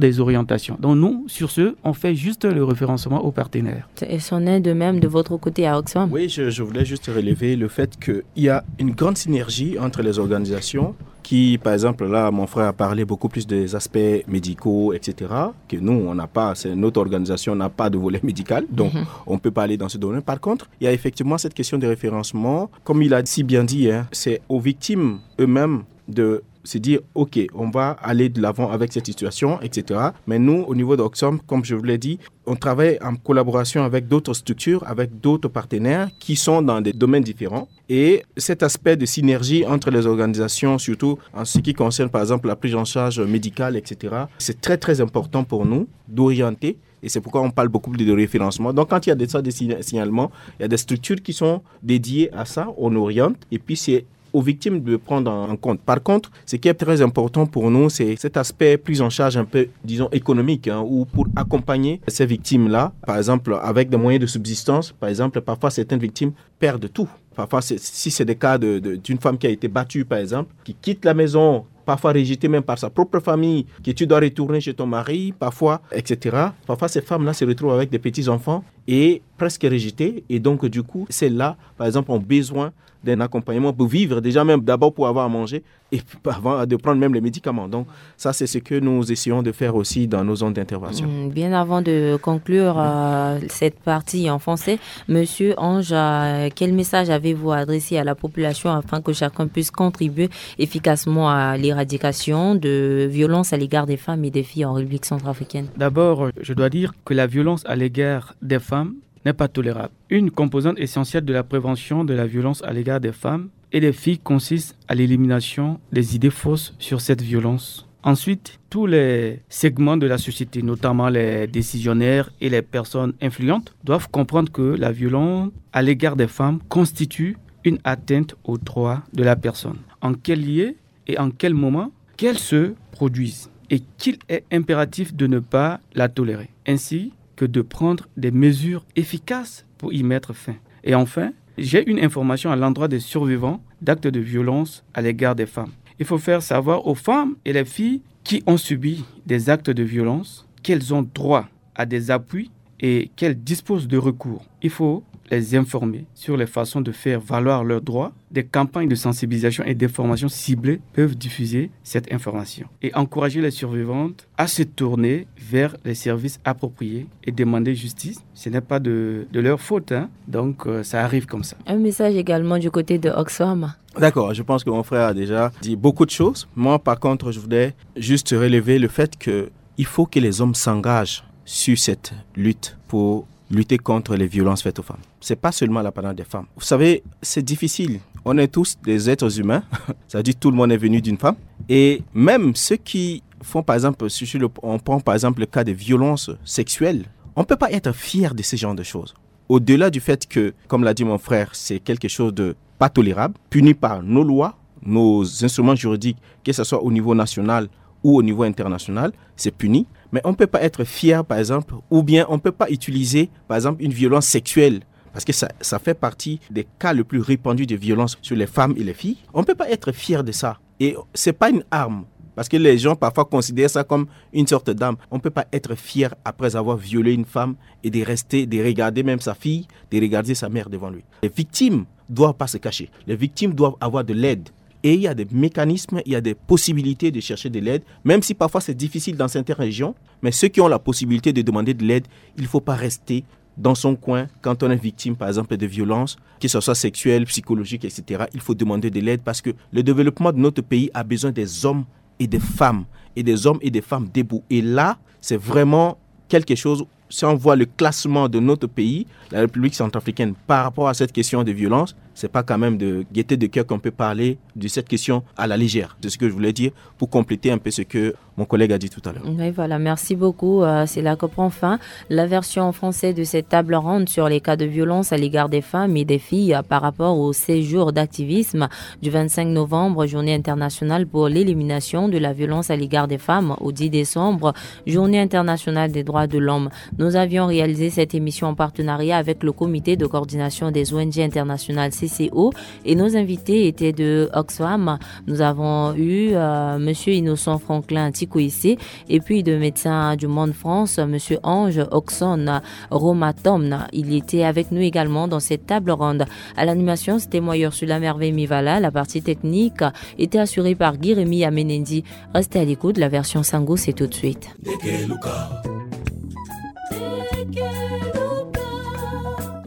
des orientations. Donc nous, sur ce, on fait juste le référencement aux partenaires. Et c'en est de même de votre côté à Oxfam ? Oui, je, je voulais juste relever le fait qu'il y a une grande synergie entre les organisations qui, par exemple, là, mon frère a parlé beaucoup plus des aspects médicaux, et cetera, que nous, on n'a pas, c'est, notre organisation n'a pas de volet médical, donc on peut pas aller dans ce domaine. Par contre, il y a effectivement cette question de référencement. Comme il a si bien dit, hein, c'est aux victimes eux-mêmes de se dire, OK, on va aller de l'avant avec cette situation, et cetera. Mais nous, au niveau d'Oxfam, comme je vous l'ai dit, on travaille en collaboration avec d'autres structures, avec d'autres partenaires qui sont dans des domaines différents. Et cet aspect de synergie entre les organisations, surtout en ce qui concerne par exemple la prise en charge médicale, et cetera, c'est très, très important pour nous d'orienter. Et c'est pourquoi on parle beaucoup de référencement. Donc, quand il y a des, ça, des signa-, signalements, il y a des structures qui sont dédiées à ça, on oriente, et puis c'est aux victimes de prendre en, en compte. Par contre, ce qui est très important pour nous, c'est cet aspect prise en charge un peu, disons, économique, hein, ou pour accompagner ces victimes-là, par exemple, avec des moyens de subsistance. Par exemple, parfois, certaines victimes perdent tout. Parfois, c'est, si c'est des cas de, de, d'une femme qui a été battue, par exemple, qui quitte la maison, parfois rejetée même par sa propre famille, que tu dois retourner chez ton mari, parfois, et cetera. Parfois, ces femmes-là se retrouvent avec des petits-enfants et presque rejetées. Et donc, du coup, celles-là, par exemple, ont besoin d'un accompagnement pour vivre, déjà même d'abord pour avoir à manger et avant de prendre même les médicaments. Donc, ça, c'est ce que nous essayons de faire aussi dans nos zones d'intervention. Hmm, bien avant de conclure, euh, cette partie en français, Monsieur Ange, euh, quel message avez-vous à adresser à la population afin que chacun puisse contribuer efficacement à l'éradication de violences à l'égard des femmes et des filles en République centrafricaine ? D'abord, je dois dire que la violence à l'égard des femmes n'est pas tolérable. Une composante essentielle de la prévention de la violence à l'égard des femmes et des filles consiste à l'élimination des idées fausses sur cette violence. Ensuite, tous les segments de la société, notamment les décisionnaires et les personnes influentes, doivent comprendre que la violence à l'égard des femmes constitue une atteinte aux droits de la personne. En quel lieu et en quel moment qu'elle se produise et qu'il est impératif de ne pas la tolérer, ainsi que de prendre des mesures efficaces pour y mettre fin. Et enfin, j'ai une information à l'endroit des survivants d'actes de violence à l'égard des femmes. Il faut faire savoir aux femmes et les filles qui ont subi des actes de violence qu'elles ont droit à des appuis et qu'elles disposent de recours. Il faut les informer sur les façons de faire valoir leurs droits. Des campagnes de sensibilisation et d'information ciblées peuvent diffuser cette information et encourager les survivantes à se tourner vers les services appropriés et demander justice. Ce n'est pas de, de leur faute, hein. Donc, euh, ça arrive comme ça. Un message également du côté de Oxfam. D'accord, je pense que mon frère a déjà dit beaucoup de choses. Moi, par contre, je voudrais juste relever le fait que il faut que les hommes s'engagent sur cette lutte pour lutter contre les violences faites aux femmes. C'est pas seulement l'apanage des femmes. Vous savez, c'est difficile. On est tous des êtres humains. Ça dit, tout le monde est venu d'une femme. Et même ceux qui font, par exemple, si je le- on prend par exemple le cas des violences sexuelles, on ne peut pas être fier de ce genre de choses. Au-delà du fait que, comme l'a dit mon frère, c'est quelque chose de pas tolérable, puni par nos lois, nos instruments juridiques, que ce soit au niveau national ou au niveau international, c'est puni. Mais on ne peut pas être fier, par exemple, ou bien on ne peut pas utiliser, par exemple, une violence sexuelle, parce que ça, ça fait partie des cas les plus répandus de violence sur les femmes et les filles. On ne peut pas être fier de ça. Et c'est pas une arme, parce que les gens parfois considèrent ça comme une sorte d'arme. On ne peut pas être fier après avoir violé une femme et de rester, de regarder même sa fille, de regarder sa mère devant lui. Les victimes doivent pas se cacher. Les victimes doivent avoir de l'aide. Et il y a des mécanismes, il y a des possibilités de chercher de l'aide, même si parfois c'est difficile dans certaines régions. Mais ceux qui ont la possibilité de demander de l'aide, il ne faut pas rester dans son coin quand on est victime, par exemple, de violence, que ce soit sexuelle, psychologique, et cetera. Il faut demander de l'aide parce que le développement de notre pays a besoin des hommes et des femmes, et des hommes et des femmes debout. Et là, c'est vraiment quelque chose, si on voit le classement de notre pays, la République centrafricaine, par rapport à cette question de violence, c'est pas quand même de gaieté de cœur qu'on peut parler de cette question à la légère. C'est ce que je voulais dire pour compléter un peu ce que mon collègue a dit tout à l'heure. Oui, voilà, merci beaucoup. Euh, c'est là que prend fin la version en français de cette table ronde sur les cas de violence à l'égard des femmes et des filles, euh, par rapport au seize jours d'activisme du vingt-cinq novembre, journée internationale pour l'élimination de la violence à l'égard des femmes, au dix décembre, journée internationale des droits de l'homme. Nous avions réalisé cette émission en partenariat avec le comité de coordination des O N G internationales, C C O, et nos invités étaient de Oxfam. Nous avons eu, euh, monsieur Innocent Franklin Tikoïsé et puis de Médecins du Monde France, monsieur Ange Oxon Romatom. Il était avec nous également dans cette table ronde. À l'animation, c'était moi, Ursula Merveille Mivala. La partie technique était assurée par Guy-Rémy Amenendi. Restez à l'écoute, la version Sango, c'est tout de suite.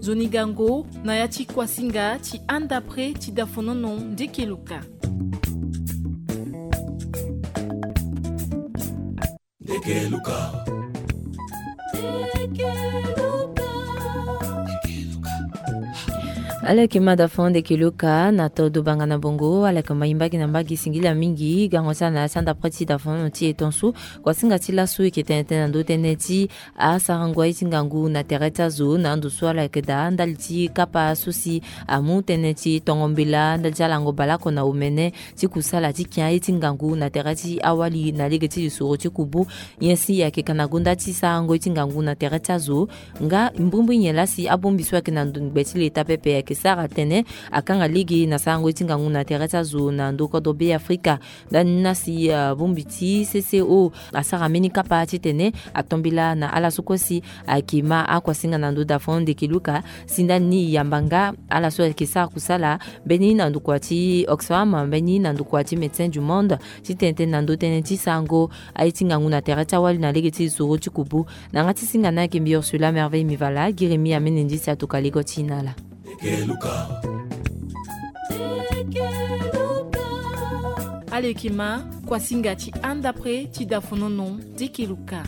Zoni gango, na ya ti Kwasinga, ti anda pre, ti dafonono, ndeke luka. Ndeke luka. Ala yeke ma dafono ndeke luka na todo banga na bongo, ala yeke ma e mbage na mbage, singila mingi. Gango ti ala na ya ti anda pre ti dafono ti e tonso. Kwasinga ti laso e yeke tene tënë na ndö tënë ti asarango aye ti ngangu na tere ti azo na ndo so ala yeke daa ndali ti kapa so si amu tënë ti tongo mbela ndali ti alango baleoko na omene ti kusala ti kia aye ti ngangu na tere ti awali na lege ti lisoro ti kubu. Nyen si e yeke ka na gonda ti sarango ye ti ngangu na tere ti azo? Nga mbrimbri nyen laa si abongbi so ayeke na ndo ngbe ti leta pepe ayeke sara tënë akanga lege na sarango ye ti ngangu na tere ti azo na ndo kodro Be Afrika? Ndani ni na si, ah, bongbi ti C C O asara mbeni kapa titene ato mbela na ala so kue si ayeke ma akuasinga na ndo dafono ndeke luka. Si ndani ni e yamba nga ala so ayeke sara kusala, mbeni na ndokua ti Oxfam, mbeni na ndokua ti Médecins du Monde, titene tënë na ndö tënë ti sarango aye ti ngangu na tere ti awali na lege ti lisoro ti kubu. Na yanga ti singa ni ayeke mbi Ursula Merveille Mivala, Guy-Rémy Amenendi si atoka lego ti e na ala. Ndeke luka. Ndeke luka. Ala yeke ma kuasinga ti anda pre ti dafonono ndeke luka.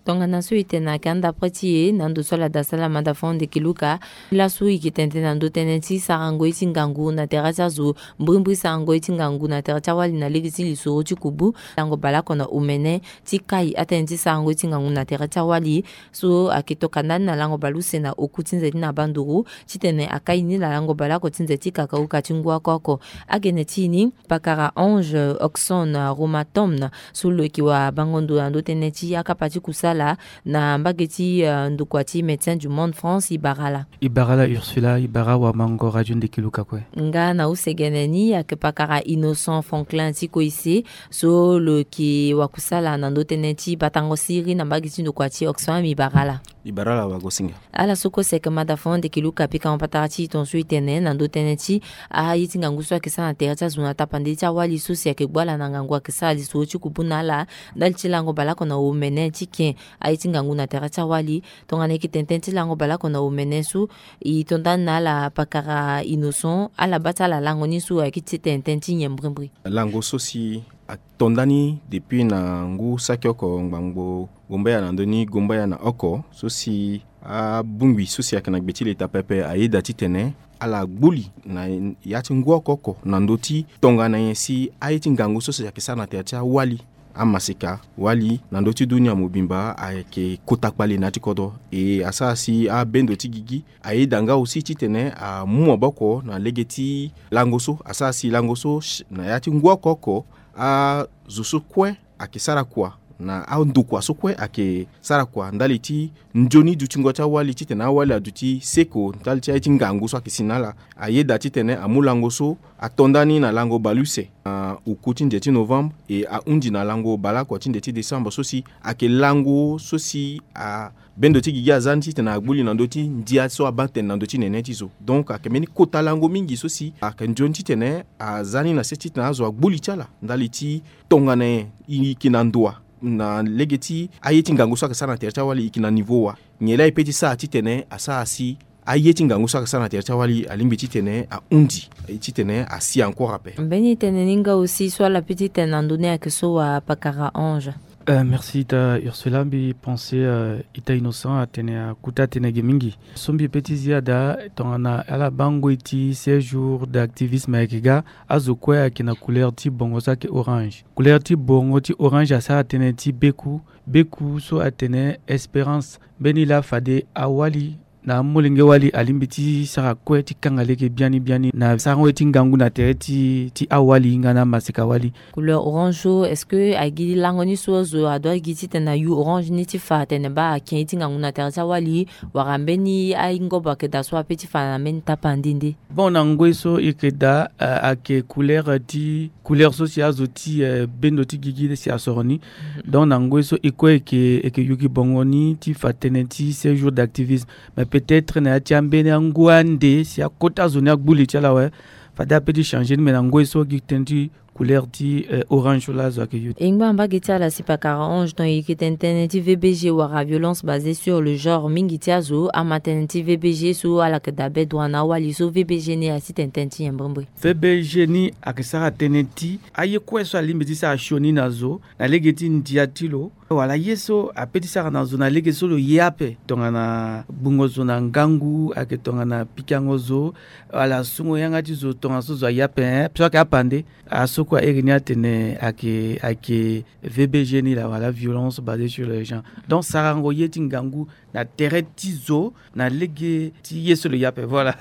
Tongana so e tene ayeke anda pre ti e na ndo so ala daa sala ma dafono ndeke luka. Laso e yeke tene tënë na ndö tënë ti sarango ye ti ngangu na tere ti azo, mbrimbri sarango ye ti ngangu na tere ti awali na lege ti lisoro ti kubu. Lango baleoko na omene ti kai atënë ti sarango ye ti ngangu na tere ti awali. So ayeke toka ndani na lango baleuse na oku ti nze ti na banduru titene akai ni na lango baleoko ti nze ti kakauka ti ngu oko oko. Agene ti e ni, pakara Ange Oxon Romatom, so lo yeke wabango ndo na ndö tënë ti akapa ti kusala ala na mbage ti, euh, ndokua ti Médecins du Monde France, e bara ala. E bara ala Ursula, e bara wamango Radio Ndekeluka kue. Nga na use gene ni ayeke pakara Innocent Franklin ti Koise, so lo yeke wakusala na ndo tënë ti batango siriri na mbage ti ndokua ti Oxfam, e bara ala. E bara ala wagosinga. Ala so kue si ayeke mada fo Ndekeluka, pika mo patara ti e tongaso e tene na ndo tënë ti aye ti ngangu so ayeke sara na tere ti azo na tapande ti awali so si ayeke gbu ala na ngangu ayeke sara lisoro ti kubu na ala ndali ti lango baleoko na omene ti ken aye ti ngangu na tere ti awali. Tongana e yeke tene tënë ti lango baleoko na omene so, e to nda ni na ala pakara Innocent, ala baa ti ala lango ni so ayeke ti tene tënë ti nyen mbirimbiri. Lango so si ato nda ni depuis na ngu saki oko ngbangbo gombaya na ndö ni gombaya na oko, so si abongbi so si ayeke na gbe ti leta pepe ayeda titene ala gbu li na ya ti ngu oko oko na ndö ti tongana nyen si aye ti ngangu so si ayeke sara na tere ti awali, amaseka, wali na ndö ti dunia mobimba ayeke kota kpale na ya ti kodro. E asara si abendo ti gigi ayeda nga aussi titene amu maboko na lege ti lango so, asara si lango so na ya ti ngu oko oko azo so kue ayeke sara kua na andokua so kue ayeke sara kua ndali ti nzoni dutingo ti awali titene awali aduti seko ndali ti aye ti ngangu so ayeke si na ala. Ayeda titene amu lango so ato nda ni na lango baleuse na uku ti nze ti novembre, e ahunzi na lango baleoko ti nze ti décembre so si ayeke lango so si a bendo ti gigi aza ni titene agbu li na ndö ti ndia so abaa tene na ndö ti nene ti zo. Donc ayeke mbeni kota lango mingi so si ayeke nzoni titene aza ni na se titene azo agbu li ti ala ndali ti tongana nyen e yeke na ndoa na lege ti aye ti ngangu so ayeke sara na tere ti awali e yeke na niveau wa. Nyen laa e peut ti sara titene asara si aye ti ngangu so ayeke sara na tere ti awali alingbi titene ahunzi titene asi encore ape. Mbeni tene ni nga aussi so ala peut ti tene na ndö ni ayeke so wa pakara Ange. Euh, merci ita Ursula. Mbi pense, euh, ita Innocent atene akuta tënë ge mingi. So mbi peut ti zi daa tongana ala baa ngoi ti seize jours d'activisme ayeke ga, azo kue ayeke na couleur ti bongo so ayeke orange. Couleur ti bongo ti orange asara tënë ti beku, beku so atene espérance. Mbeni laa fade awali na amolenge wali alingbi ti sara kue ti kanga lege biani biani na sarango ye ti ngangu na tere ti, ti awali nga na amaseka wali. Couleur orange so, est-ce que agi lango ni so azo adoit gi titene ayu orange ni ti fa atene baa ake ye ti ngangu na tere ti awali, wala mbeni aingobo ayeke daa so apeut ti fa na mbeni tapande nde? Bon, na ngoi so e yeke daa, euh, ayeke couleur ti, couleur so si azo ti, euh, bendo ti gigi si asoro ni. Donc na ngoi so e kue e yeke, e yeke yuki bongo ni ti fa tënë ti seize jours d'activisme. Mais peut-être na ya ti ambeni angu ande si akota zo ni agbu li ti ala awe, fade apeut ti changer ni. Mais na ngoi so gi tënë ti couleur ti, euh, orange so laa azo ayeke yu. E ngba mbage ti ala si pakara Ange, ton e yeke tene tënë ti V B G wala violence basée sur le genre. Mingi ti azo ama tënë ti V B G so ala yeke daa be droit na awali so. V B G ni asi tene tënë ti nyen mbirimbiri? V B G ni ayeke sara tënë ti aye kue so alingbi ti sara sioni na zo na lege ti ndia ti lo, wala ye so apeut ti sara na zo na lege so lo ye ape. Tongana gbungo zo na ngangu, ayeke tongana pikango zo, wala sungo yanga ti zo tongana so zo aye ape, eh, so ayeke apande. Aso kue airi ni atene ayeke, ayeke V B G ni laa, wala violence basée sur le genre. Donc sarango ye ti ngangu na tere ti zo na lege ti ye so lo ye ape. Voilà.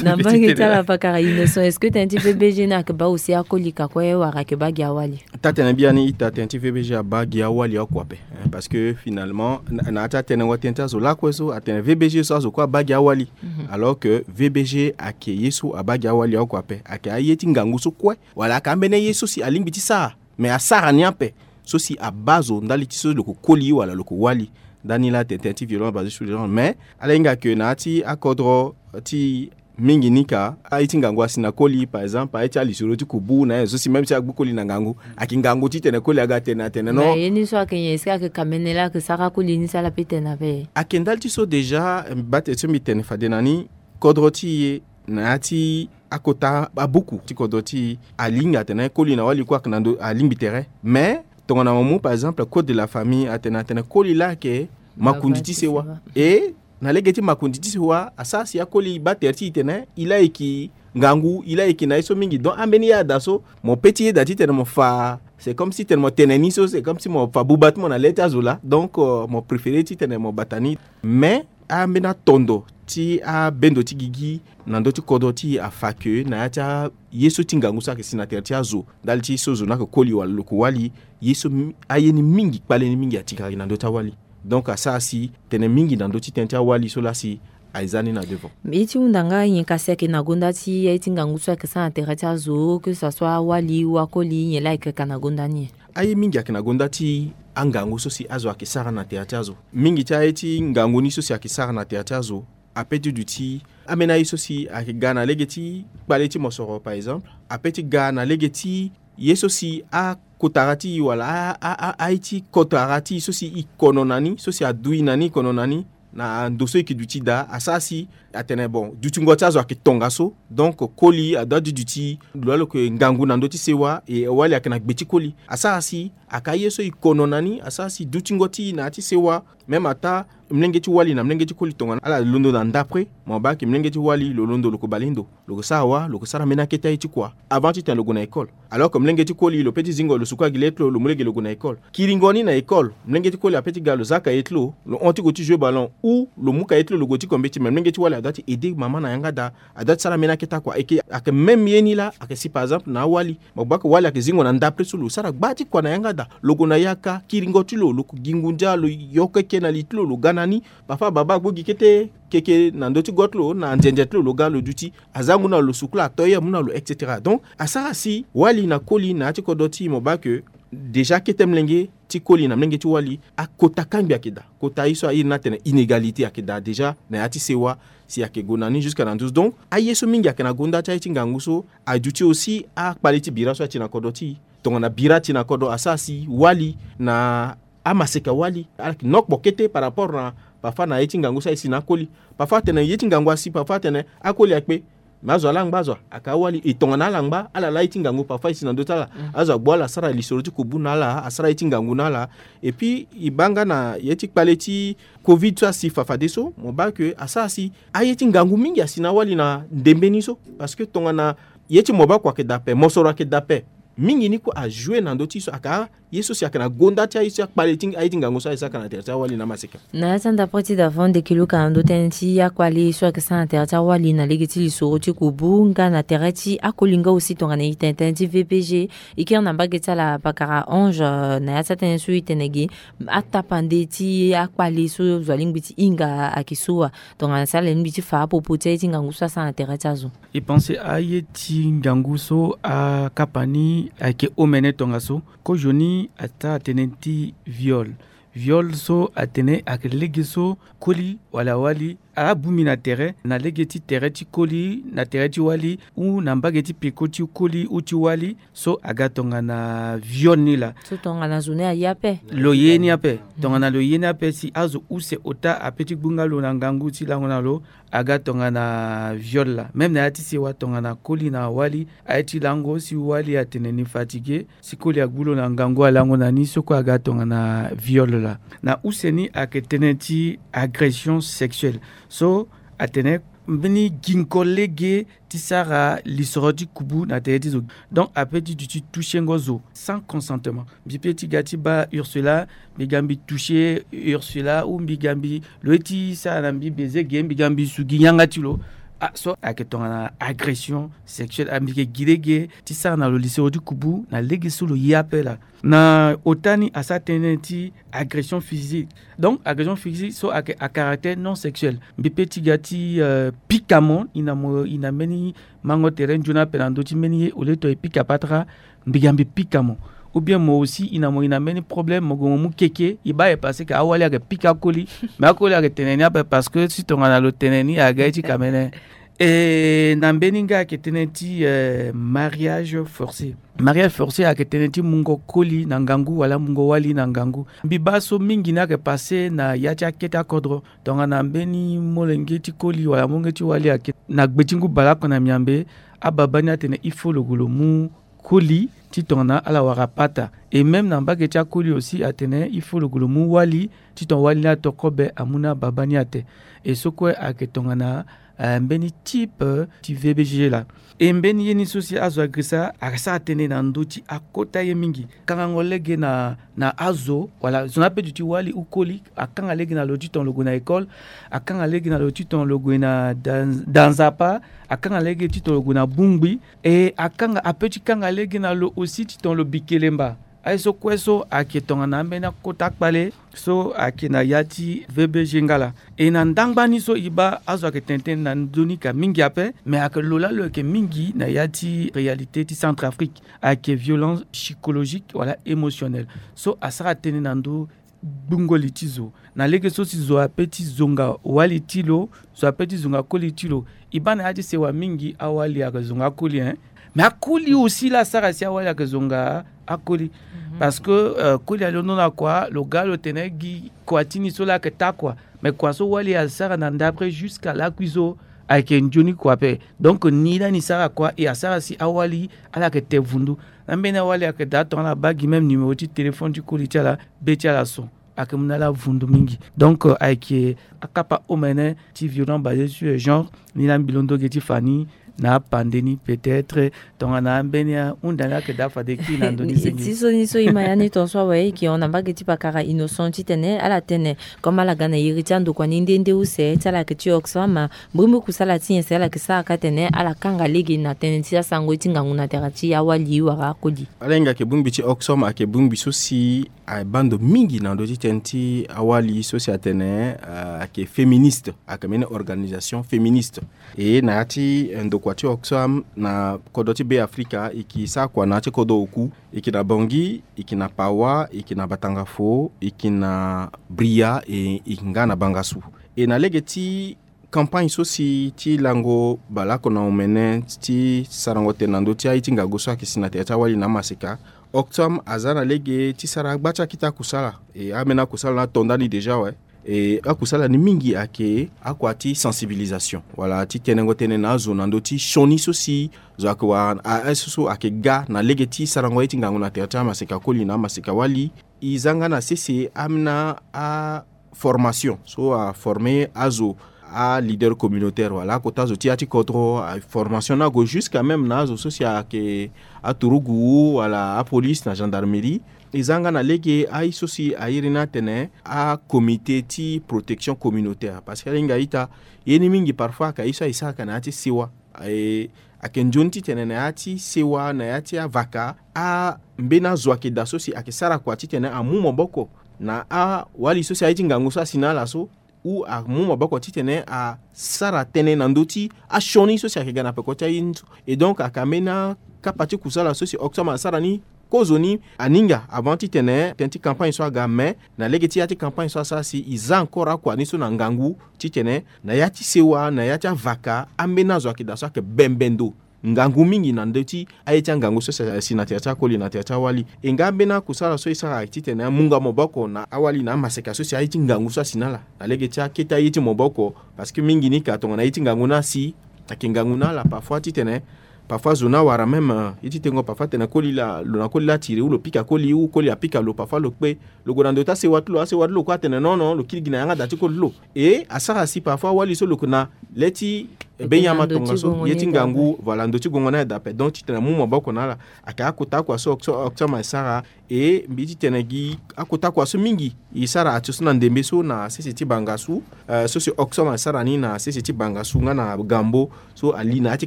Na mbage ti ala pakara Innocent, est-ce que tënë ti V B G ni ayeke baa aussi akoli ka kue wala ayeke baa gi awali? Taa tene biani ita, tënë ti V B G abaa gi awali oko ape, hein, parce que finalement na, na ya ti atënë wa tënë ti azo lakue so atene V B G so azo kue abaa gi awali. Mhm. Alors que V B G ayeke ye so abaa gi awali oko ape, ayeke aye ti ngangu so kue wala ayeke ambeni ye so si alingbi ti sara, mais asara ni ape so si abaa zo ndali ti so lo yeke koli wala lo yeke wali. Ndani laa tene tënë ti violence basée sur le genre, mais ala hinga ke na ya ti akodro ti mingi ni ka, aye ti ngangu asi na koli, par exemple aye ti alisoro ti kubu na aye so si même si agbu koli na ngangu, ayeke ngangu titene koli aga tene atene non. Mais ye ni so ayeke nyen? Est-ce que ayeke kamene laa ayeke sara koli ni si ala peut tene ape? Ayeke ndali ti so déjà, eh, mbi baa tene so mbi tene fade na ni, kodro ti e na ya ti akota abuku ti kodro ti e alinga atene koli na wali kue ayeke na ndo alingbi tere. Mais tongana mo mu par exemple code de la famille atene, atene koli laa ayeke makonzi ti sewa. E na lege ti makonzi ti sewa asara si akoli baa tere ti e tene e laa e yeke ngangu, e laa e yeke na ye so mingi. Donc ambeni ye ada so mo peut ti yeda titene mo fa, c'est comme si tene mo tene ni so, c'est comme si mo fa buba ti mo na le ti azo laa. Donc, euh, mo préféré titene mo bata ni. Mais ambeni atondo ti abendo ti gigi na ndö ti kodro ti e afa ke na ya ti aye so ti ngangu so ayeke si na tere ti azo ndali ti so zo ni ayeke koli wala lo yeke wali, ye so mi-, aye ni mingi, kpale ni mingi atikara gi na ndö ti awali. Donc asara si tene mingi na ndö ti tënë ti awali so laa si aye za ni na devant. Ye ti hunda nga nyen kasi ayeke na gonda ti aye ti ngangu so ayeke sara na tere ti azo, que ça soit awali ou akoli, nyen laa ayeke ka na gonda ni? Aye mingi ayeke na gonda ti angangu so si azo ayeke sara na tere ti azo. Mingi ti aye ti ngangu ni so si ayeke sara na tere ti azo ape ti duti ambeni aye so si ayeke ga na lege ti kpale ti mosoro, par exemple, ape ti ga na lege ti ye so si akotara ti e wala a, a, a, aye ti kotara ti e so si e kono na ni, so si adu e na ni, e kono na ni, na ndo so e yeke duti daa, asara si atene bon, dutingo ti azo ayeke tongaso. Donc koli adoit ti duti lo alo yeke ngangu na ndö ti sewa, e wali ayeke na gbe ti koli. Asara si ayeke aye so e kono na ni, asara si dutingo ti e na ya ti sewa, même ata molenge ti wali na molenge ti koli tongana ala londo na ndapre, mo baa ayeke molenge ti wali lo londo lo yeke bale ndo, lo yeke sara wa, lo yeke sara mbeni akete aye ti kua avant titene lo gue na école. Alors que molenge ti koli lo peut ti zingo lo suku agile ti lo, lo mu lege lo gue na école. Kiringo ni na école, molenge ti koli apeut ti ga lo za kaye ti lo, lo hon ti gue ti jouer ballon ou lo mu kaye ti lo lo gue ti ko mbeti, mais molenge ti wali adoit ti aider mama na yanga daa, adoit ti sara mbeni akete akua. Eke ayeke même ye ni laa ayeke si par exemple na awali. Mo baa ke wali ayeke zingo na ndapre so lo sara gba ti kua na yanga daa, lo gue na yaka, kiringo ti lo, lo gi ngu ndia, lo yoko eke na li ti lo, lo ga na ni. Parfois baba agbo gi kete keke na ndö ti go ti lo, na nzenze ti lo, lo ga lo duti. Aza ngu na lo, lo sukula atoye amu na lo, et cetera. Donc asara si wali na koli na ya ti kodro ti e, mo baa ke déjà kete molenge ti koli na molenge ti wali, akota kangbi ayeke daa. Kota ye so a iri ni atene inégalité ayeke daa déjà na ya ti sewa, si ayeke gue na ni jusqu'à na nduzu. Donc aye so mingi ayeke na gonda ti aye ti ngangu so aduti aussi akpale ti bira so ati na kodro ti e. Tongana bira ati na kodro, asara si wali na amaseka wali ala yeke na okpo kete par rapport na parfois na ye ti ngangu so aye si na akoli. Parfois atene ye ti ngangu asi, parfois atene akoli akpe. Mais azo ala ngba, azo ayeke awali. E tongana ala ngba, ala laa ye ti ngangu parfois e si na ndö ti ala. Azo agbu ala asara lisoro ti kubu na ala, asara ye ti ngangu na ala. Et puis e baa nga na ye ti kpale ti covid so asi fafadeso, mo baa ke asara si aye ti ngangu mingi asi na awali na ndembe ni so. Parce que tongana ye ti mobako ayeke daa ape, mosoro ayeke daa ape, mingi ni kue ajoue na ndö ti so aka ye so si ayeke na gonda ti aye so akpale ti aye ti ngangu so aye saka na tere ti awali na amaseka. Na ya ti andapre ti davant ndeke luka na ndö tënë ti akpale so ayeke sara na tere ti awali na lege ti lisoro ti kubu nga na tere ti akoli nga aussi tongana e tene tënë ti V P G. E kiri na mbage ti ala pakara Ange, euh, na ya ti atënë so e tene ge atapande ti akpale so zo alingbi ti hinga ayeke so wa? Tongana si ala lingbi ti fa apopo ti aye ti ngangu so asara na tere ti azo. E pense aye ti ngangu so akapa ni ayeke omene tongaso. Kozoni ata atene ti viol. Viol so atene ayeke lege so koli wala wali ala bongbi na tere, na lege ti tere ti koli na tere ti wali ou na mbage ti peko ti koli ou ti wali, so aga tongana viol ni laa. So tongana zo ni aye ape. Lo ye ni ape. Tongana lo ye ni ape si azo use ota ape ti gbu nga lo na ngangu ti lango na lo, aga tongana viol laa. Même na ya ti sewa tongana koli na wali, aye ti lango si wali atene ni fatigué, si koli agbu lo na ngangu alango na ni, so kue aga tongana viol laa. Na use ni ayeke tënë ti agression sexuelle. So atene mbeni gingo lege ti sara lisoro ti kubu na tere ti zo. Donc apeut ti duti touchengo zo sans consentement. Mbi peut ti ga ti baa Ursula, mbi ga mbi toucher Ursula ou mbi ga mbi, lo ye ti sara na mbi baiser ge, mbi ga mbi su gi yanga ti lo. Ah, so ayeke tongana agression sexuelle. Ah, mbi yeke gi lege ti sara na lo lisoro ti kubu na lege so lo ye ape laa. Na ota ni asara tënë ti agression physique. Donc agression physique so ayeke à caractère non sexuel. Mbi peut ti ga ti, euh, pika mo, e na mo, e na mbeni mango tere nzoni ape na ndö ti mbeni ye, au lieu to e pika patara, mbi ga mbi pika mo. Ou bien mo aussi e na mo, e na mbeni problème, mo gue mo mu keke, e baa e parce que awali ayeke pika akoli. Mais akoli ayeke tene ni ape parce que si tongana lo tene ni aga ye ti kamene. E na mbeni nga ayeke tënë ti, euh, mariage forcé. Mariage forcé ayeke tënë ti mungo koli na ngangu wala mungo wali na ngangu. Mbi baa so mingi ni ayeke passé na ya ti akete akodro. Tongana mbeni molenge ti koli wala molenge ti wali ayeke na gbe ti ngu baleoko na miambe, ababa ni atene il faut lo gue lo mu koli ti tongana ala wara pata. Et même na mbage ti akoli aussi atene il faut lo gue lo mu wali ti tongana wali ni ato kobe amu na ababa ni ate. Et so kue ayeke tongana, euh, mbeni type, euh, ti V B G laa. E mbeni ye ni so si azo agirisa asara tënë na ndö ti akota ye mingi. Kangango lege na, na azo, wala zo ni ape duti wali ou koli, akanga lege na lo ti tongana lo gue na école, akanga lege na lo ti tongana lo gue na da, da nzapa, akanga lege ti tongana lo gue na bongbi, e akanga, apeut ti kanga lege na lo aussi ti tongana lo bi kelemba. Aye so kue so ayeke tongana ambeni akota kpale so ayeke na ya ti V B G nga laa. E na ndangba ni so e baa azo ayeke tene tënë na ndö ni ka mingi ape, me ayeke lo laa lo yeke mingi na ya ti réalité ti Centrafrique ayeke violence psychologique wala émotionnelle so asara tënë na ndö gbungo li ti zo. Na lege so si zo ape ti zonga wali ti lo, zo ape ti zonga koli ti lo. E baa na ya ti sewa mingi awali ayeke zonga akoli, hein. Mais akoli aussi laa asara si awali ayeke zonga akoli. Parce que, euh, koli alondo na kua, lo ga lo tene gi kua ti ni so laa ayeke taa kua. Mais kua so wali asara na ndapre jusqu'à lakui so ayeke nzoni kua ape. Donc ni lani sara kua e asara si awali ala yeke te vundu. Ambeni awali ayeke daa tongana abaa gi même numéro ti téléphone ti koli ti ala, be ti ala so ayeke mu na ala vundu mingi. Donc, euh, ayeke akapa omene ti violence basée sur le genre. Ni laa mbi londo ge ti fa ni na apande ni, peut-être tongana ambeni ahunda ni ayeke daa fade kiri na ndö ni senge. Ti so ni so e ma ya ni ton so awe, e yeke hon na mbage ti pakara Innocent titene ala tene comme ala ga na iri ti andokua ni nde nde use ti ala yeke ti Oxfam, mbrimbri kusala ti nyen si ala yeke sara ka tene ala kanga lege na tënë ti asango ye ti ngangu na tere ti awali wala akoli. Ala hinga ayeke bongbi ti Oxfam ayeke bongbi so si abaa ndo mingi na ndö ti tënë ti awali so si atene, euh, ayeke féministe, ayeke mbeni organisation féministe. E na ya ti, eh, ndokua ti Oxfam na kodro ti Be Afrika, e yeke sara kua na ya ti kodro oku, e yeke na Bangui, e yeke na Pawa, e yeke na Batangafo, e yeke na Bria, e, e yeke nga na Bangassou. E na lege ti campagne so si ti lango baleoko na omene ti sarango tene na ndö ti aye ti ngangu so ayeke si na tere ti awali na amaseka, Oxfam aza na lege ti sara agba ti akita kusala. E ambeni akusala ni ato ndani déjà awe. E akusala ni mingi ayeke akua ti sensibilisation wala ti tenengo tënë na azo na ndö ti sioni so si zo ayeke wara, a, aye so so ayeke ga na lege ti sarango ye ti ngangu na tere ti amaseka koli na amaseka wali. E za nga na sese ambeni a formation so aforme azo, aleader communautaire wala akota zo ti ya ti kodro, aformation ni ague jusqu'à même na azo so si ayeke aturugu wala apolice na gendarmerie. E za nga na lege aye so si a iri ni atene acomité ti protection communautaire, parce que ala hinga ita, ye ni mingi parfois ayeke aye so aye sara ka na ya ti sewa. E, ayeke nzoni titene na ya ti sewa, na ya ti avaka, a, mbeni azo ayeke daa so si ayeke sara kua titene amu maboko na awali so si aye ti ngangu so asi na ala so, ou amu maboko titene asara tënë na ndö ti asioni so si ayeke ga na peko ti aye ni so. Et donc ayeke ambeni akapa ti kusala so si Oxfam asara ni kozoni aninga avant titene tënë ti campagne so aga, mais na lege ti ya ti campagne so asara si e za encore akua ni so na ngangu titene na ya ti sewa, na ya ti avaka, ambeni azo ayeke daa so ayeke bembe ndo ngangu mingi na ndö ti aye ti angangu so si asi na tere ti akoli na tere ti awali. E nga ambeni akusala so e sara titene amunga maboko na awali na amaseka so si aye ti ngangu so asi na ala na lege ti akete aye ti maboko, parce que mingi ni ka tongana aye ti ngangu ni asi, ayeke ngangu na ala parfois titene, parfois zo ni awara même, euh, ye ti tengo parfois tene koli laa, lo na koli laa atiri ou lo pika koli ou koli apika lo, parfois lo kpe, lo gue na ndo ti asewa ti lo, asewa ti lo kue atene non non, lo kiri gi na yanga da ti koli ti lo. E asara si parfois awali so lo yeke na le ti, eh, benyama tongaso, ye ti ngangu, voilà, ndo ti gongo ni aye daa ape. Donc titene amu maboko na ala, ayeke akota akua so Oxfam, Oxfam asara. E mbi ti tene gi akota kua so mingi e sara ato so na ndembe so na sese ti Bangassou, eh, so si Oxfam asara ni na sese ti Bangassou nga na Gambo, so ali na ya ti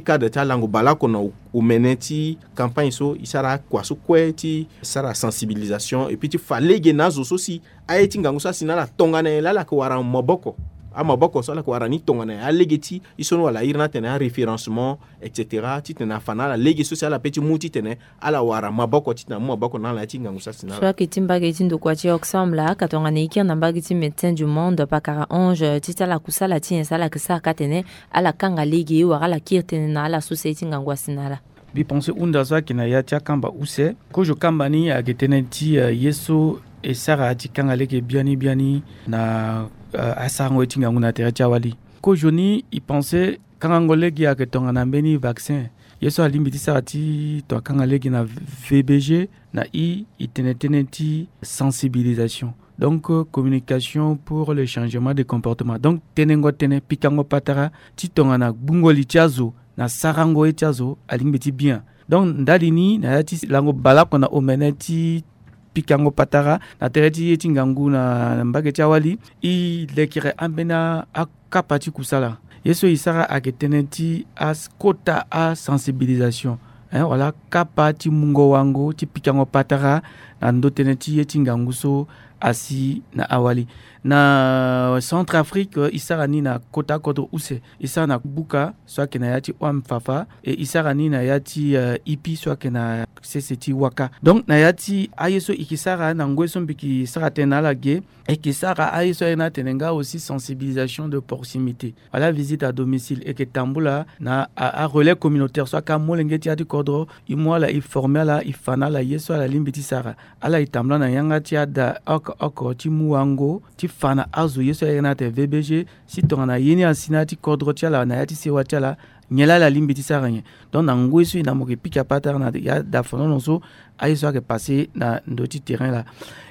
cadre ti alango baleoko na o-, omene ti campagne so e sara akua so kue ti sara sensibilisation et puis ti fa lege na azo so si aye ti ngangu so asi na ala tongana nyen laa ala yeke wara maboko. Amaboko so ala yeke wara ni tongana nyen, alege ti e so ni wala a iri ni atene aréférencement, et cetera, titene afa na ala lege so si ala pe ti mu titene ala wara maboko titene amu maboko na ala na ya ti ngangu so asi na ala. So ayeke ti mbage ti ndokua ti Oxfam laa, ka tongana e kiri na mbage ti Médecins du Monde, pakara Ange, ti ti ala kusala ti nyen si ala yeke sara ka tene ala kanga lege wala ala kiri tënë na ala so si aye ti ngangu asi na ala? Mbi pense hunda so ayeke na ya ti akamba use. Kozo kamba ni ayeke tënë ti, eh, ye so e sara ti kanga lege biani biani na, eh, asarango ye ti ngangu na tere ti awali. Kozo ni e pense kangango lege ayeke tongana mbeni vaccin. Ye so alingbi ti sara ti tongana kanga lege na V B G, na i e tene tënë ti sensibilisation. Donc, euh, communication pour le changement de comportement. Donc tenengo tënë, pikango patara ti tongana gbungo li ti azo na sarango ye ti azo alingbi ti bien. Donc ndali ni na ya ti lango baleoko na omene ti pikango patara na tere ti ye ti ngangu na, na mbage ti awali, e lekere ambeni a- akapa ti kusala. Ye so e sara ayeke tënë ti akota asensibilisation. Hein, wala kapa ti mungo wango ti pikango patara na ndo tënë ti ye ti ngangu so asi na awali. Na Centrafrique, e sara ni na kota kodro use. E sara na Buka so ayeke na ya ti Ouam Fafa, e e sara ni na ya ti, euh, Ipi so ayeke na sese ti Waka. Donc na ya ti aye so e ke sara na ngoi so mbi ke sara tënë na ala ge, e ke sara aye so ayeke na atene nga aussi sensibilisation de proximité, wala visite à domicile. E ke tambula na a, a relais communautaire so ayeke amolenge ti ya ti kodro, e mu ala, e former ala, e fa na ala ye so ala lingbi ti sara. Ala e tambula na yanga ti ada oko oko ti mu wango ti fa na azo ye so ayeke na atene V B G, si tongana ye ni asi na ya ti kodro ti ala, na ya ti sewa ti ala, nyen laa ala lingbi ti sara nyen. Donc na ngoi so e na mo ke pika patara na ya dafanono so aye so ayeke passe na ndö ti terrain laa.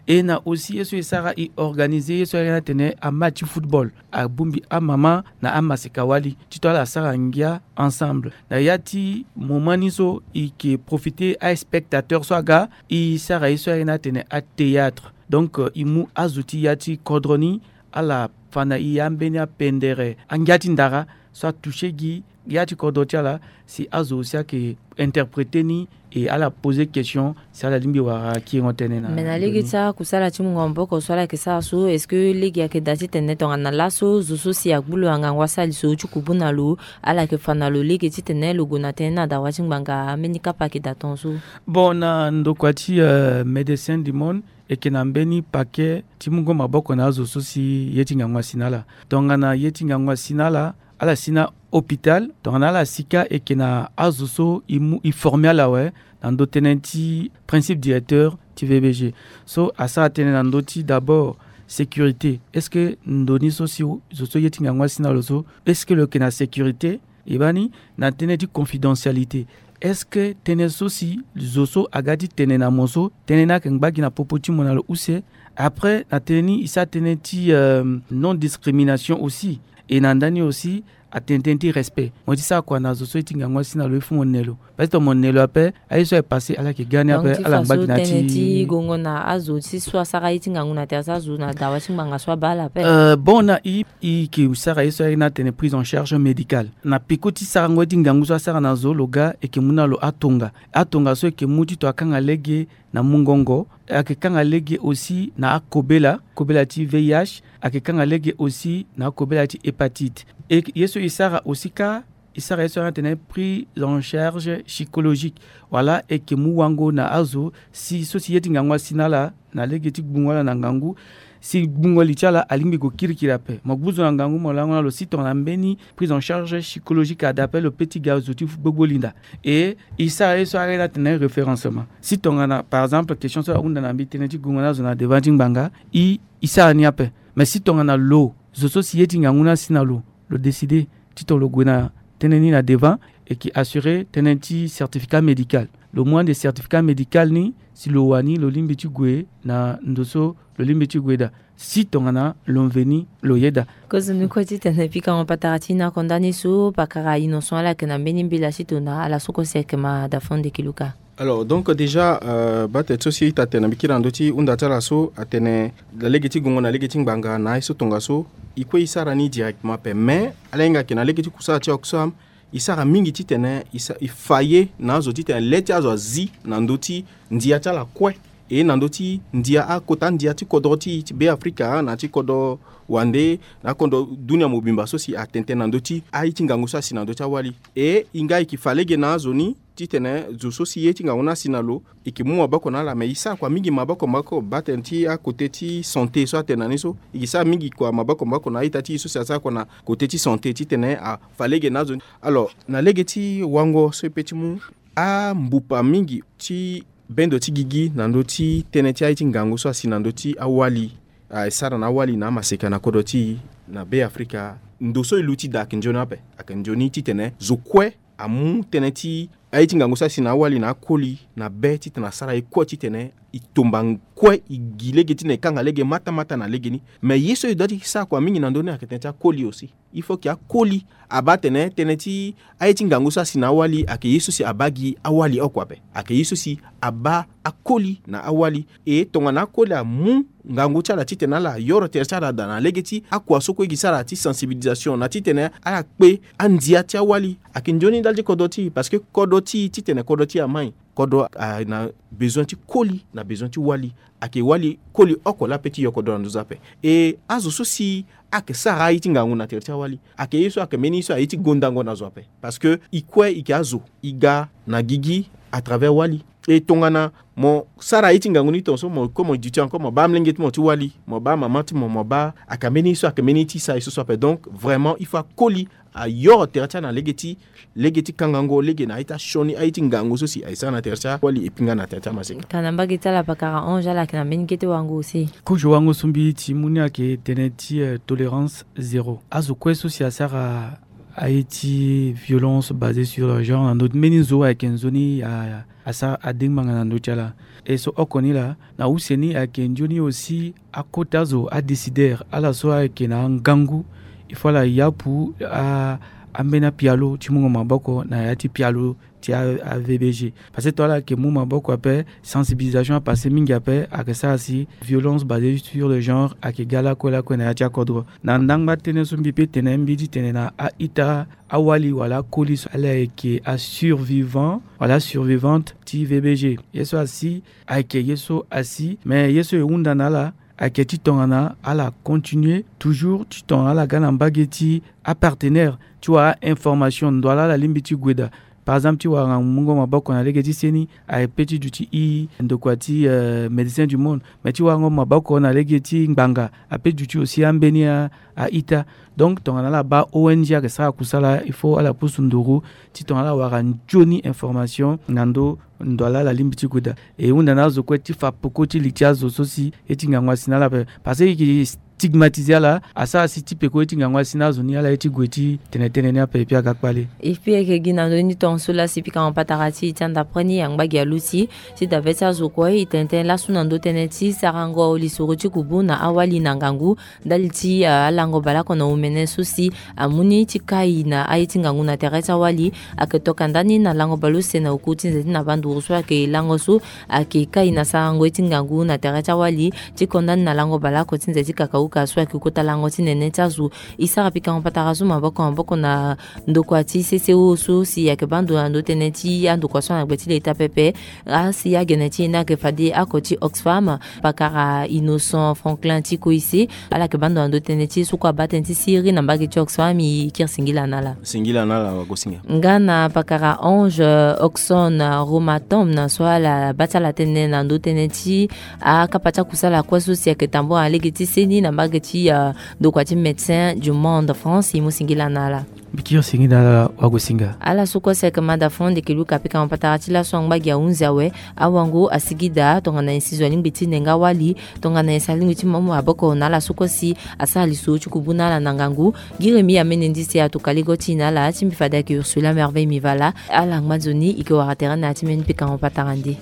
E na aussi ye so e sara, e organiser ye so ayeke na atene amatch ti football, abongbi amama na amaseka wali ti to ala sara ngia ensemble. Na ya ti moment ni so, e ke profiter aspectateur so aga, e sara ye so ayeke na atene athéâtre. Donc, euh, e mu azo ti ya ti kodro ni, ala fa na e ambeni apendere angia ti ndara so atoucher gi ya ti kodro ti ala, si azo aussi ayeke interpréter ni, e ala poser question si ala lingbi wara kiringo tënë na. Mais na lege ti akusala ti mungo maboko so ala yeke sara so, est-ce que lege ayeke daa titene tongana laso zo so si agbu lo na ngangu asara li so ti kubu na lo, ala yeke fa na lo lege titene lo gue na tënë ni na dawa ti ngbanga, ambeni kapa ayeke daa tongaso? Bon, na ndokua ti, euh, Médecins du Monde, e yeke na mbeni paquet ti mungo maboko na azo so si ye ti ngangu asi na ala. Tongana ye ti ngangu asi na ala, ala si na hôpital, tongana ala si kâ, e yeke na azo so e mu, e former ala awe na ndo tënë ti principe directeur ti V B G. So asara tënë na ndö ti d'abord sécurité. Est-ce que ndo ni so si zo so ye ti ngangu asi na lo so, est-ce que lo yeke na sécurité? E baa ni na tënë ti confidentialité. Est-ce que tënë so si zo so aga ti tene na mo so, tënë ni ayeke ngba gi na popo ti mo na lo use? Après, na tënë ni, e sara tënë ti, euh, non discrimination aussi. E na ndani aussi, atene tënë ti respect. Mo ye ti sara kua na zo so ye ti ngangu asi na lo, il faut mo ne lo. Parce que mo ne lo ape, aye so aye passe, ala yeke ga ni ape, ala ngba gi na ti gongo na azo ti so asara ye ti ngangu na tere ti azo na dawa ti ngbanga so abaa ala ape. Euh, bon, na e, e yeke sara ye so ayeke na atene prise en charge médicale. Na peko ti sarango ye ti ngangu so asara na zo, lo ga, e yeke mu na lo atonga. Atonga so e yeke mu ti to akanga lege na mungongo, ayeke kanga lege aussi na akobela, kobela ti V I H, ayeke kanga lege aussi na akobela ti hépatite. E ye so e sara aussi kâ, e sara ye so ayeke na atene prise en charge psychologique. Wala e yeke mu wango na azo si so si ye ti ngangu asi na ala na lege ti gbungo ala na ngangu, si gbungo li ti ala alingbi gue kirikiri ape. Mo gbu zo na ngangu, mo lango na lo, si tongana mbeni prise en charge psychologique ada ape, lo peut ti ga zo ti gbogbo linda. E e sara ye so ayeke na atene référencement. Si tongana, par exemple, question so ahunda na mbi, tënë ti gongo na azo na devant ti ngbanga, e e sara ni ape. Mais si tongana lo, zo so si ye ti ngangu ni asi na lo, lo décider titene lo gue na tënë ni na devant, e yeke assurer tënë ti certificat médical. Lo mu ande certificat médical ni, si lo wani, lo lingbi ti gue na ndo so lo lingbi ti gue daa. Si tongana lo mveni, lo yeda. Kozoni kue titene pikango patara ti na konda ni so, pakara Innocent, ala yeke na mbeni mbela ti tona, ala so kue si ayeke ma da fond de kiluka. Alors, donc, déjà, euh, baa tene so si ita tene na mbi kiri na ndö ti hunda ti ala so, atene na lege ti gongo na lege ti ngbanga na aye so tongaso, e kue e sara ni directement ape. Mais ala hinga ayeke na lege ti kusala ti Oxfam, e sara mingi titene e sa, e fa ye na azo titene le ti azo azi na ndö ti ndia ti ala kue, e na ndö ti ndia, akota ndia ti kodro ti, ti Be Afrika, na ti kodro wande, na kodro dunia mobimba so si atene tënë na ndö ti aye ti ngangu so asi na ndö ti awali. E e nga e yeke fa lege na azo ni titene zo so si ye ti ngangu ni asi na lo, e yeke mu maboko na ala. Mais e sara kua mingi maboko maboko, baa tene ti akote ti santé so atene na ni so, e yeke sara mingi kua maboko maboko na a-ita ti e so si asara kua na kote ti santé titene afa lege na azo ni. Alors, na lege ti wango so e pe ti mu ambupa mingi ti bendo ti gigi na ndö ti tënë ti aye ti ngangu so asi na ndö ti awali, ah, e sara na awali na amaseka na kodro ti e na Be Afrika. Ndo so e luti daa ayeke nzoni ape, ayeke nzoni titene zo kue amu tënë ti aye ti ngangu so asi na awali na akoli na be titene asara ye kue titene e tomba kue, e gi lege ti na e kanga lege matamata na legeni. Mais ye so e doit ti sara kua mingi na ndö ni ayeke tënë ti akoli aussi. Il faut ke akoli abaa atene tënë ti aye ti ngangu so asi na awali ayeke ye so si abaa gi awali oko ape. Ayeke ye so si abaa akoli na awali. E tongana akoli amu ngangu ti ala titene ala yoro tere ti ala daa na lege ti akua so kue e gi sara ti sensibilisation na titene ala kpe andia ti awali. Ayeke nzoni ndali ti kodro ti e, parce que kodro ti e titene kodro ti e amai, kodro, ah, na besoin ti koli, na besoin ti wali. Ayeke wali koli oko laa ape ti yo kodro na nduzu ape. E azo so si ayeke sara aye ti ngangu na tere ti awali, ayeke ye so ayeke mbeni ye so aye ti gondango na zo ape. Parce que e kue e yeke azo, e ga na gigi à travers wali. E tongana mo sara aye ti ngangu ni tongaso, mo kue mo duti encore, mo baa amolenge ti mo ti wali, mo baa mama ti mo, mo baa, ayeke mbeni ye so ayeke mbeni ye ti sa ye so so ape. Donc vraiment il faut akoli, ayoro tere ti ala na lege ti, lege ti kangango lege na aye ti asioni aye ti ngangu so si aye sara na tere ti awali e pinga na tere ti amaseka. Ka na mbage ti ala pakara Ange, ala yeke na mbeni kete wango aussi. Kozo wango so mbi ti mu ni ayeke tënë ti, euh, tolérance zéro. Azo kue so si asara aye ti violence basée sur le genre na ndö ti mbeni nzo ayeke nzoni a, asara adengbanga na ndö ti ala. E so oko ni laa, na use ni ayeke nzoni aussi akota zo, adécideur, ala so ayeke na angangu, il faut ala yapu a, ambeni apialo ti mungo maboko na ya ti pialo ti a, a V B G. Parce que to ala yeke mu maboko ape, sensibilisation apassé mingi ape, ayeke sara si violence basée sur le genre ayeke ga lakue lakue na ya ti akodro. Na ndangba tënë so mbi pe tene, mbi ti tene na a-ita, awali wala akoli so ala yeke asurvivant wala asurvivante ti V B G. Ye so asi ayeke ye so asi, mais ye so e hunda na ala ayeke ti tongana ala continuer toujours ti tongana ala ga na mbage ti apartenaire ti wara information ndo ala ala lingbi ti gue daa. Par exemple ti wara mungo maboko na lege ti seni, aye pe ti duti i ndokua ti, euh, Médecins du Monde, mais ti warango maboko na lege ti ngbanga ape duti aussi ambeni a, a-ita. Donc tongana ala baa O N G ayeke sara kusala, il faut ala pusu nduru ti tongana ala wara nzoni information na ndo ndo ala ala lingbi ti gue daa. E hunda na azo kue ti fa peko ti li ti azo so si ye ti ngangu asi na ala ape. Parce que e yeke stigmatiser ala, asara si ti peko ye ti ngangu asi na azo ni, ala ye ti gue ti tene tënë ni ape, e puis aga kpale. E puis e yeke gi na ndö ni tongaso laa si pikango patara ti e ti anda après ni angba gi aluti ti dabe ti azo kue, e tene tënë laso na ndö tënë ti sarango lisoro ti kubu na awali na ngangu ndali ti, ah, alango baleoko na omene so si amu ni ti kai na aye ti ngangu na tere ti awali. Ayeke toka ndani na lango baleuse na oku ti nze ti na banduru so ayeke lango so ayeke kai na sarango ye ti ngangu na tere ti awali, ti ko ndani na lango baleoko ti nze ti kakauka so ayeke kota lango ti nene ti azo. E sara pikango patara so maboko maboko na ndokua ti C C O so si ayeke baa ndo na ndö tënë ti andokua so na gbe ti leta pepe. Asi agene ti e ni ayeke fade oko ti Oxfam, pakara Innocent Franklin ti Koise, ala yeke baa ndo na ndö tënë ti e so kue abaa tënë ti siriri na mbage ti Oxfam. E kiri singila na ala. Singila na ala wagosinga. Nga na pakara Ange, euh, Oxon, euh, Romatom na so ala baa ti ala tënë na ndö tënë ti akapa ti akusala kue so si ayeke tambula na lege ti seni na mbage ti, euh, ndokua ti Médecins du Monde France, e mu singila na ala. Mbi kiri singila na ala wagosinga. Ala so kue si ayeke mada fo ande yeke luka pikango patara ti laso angba gi ahunzi awe. Awango asigi daa tongana nyen si zo alingbi ti nenga wali, tongana nyen si alingbi ti mu maboko na ala so kue si asara lisoro ti kubu na ala na ngangu. Gi remi amene ndi si atuka lego ti e na ala ti mbi fade ayeke Ursula Merveille Mivala. Ala ngba nzoni, e yeke wara tere na ya ti mbeni pikango patara nde.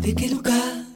Tekeluka.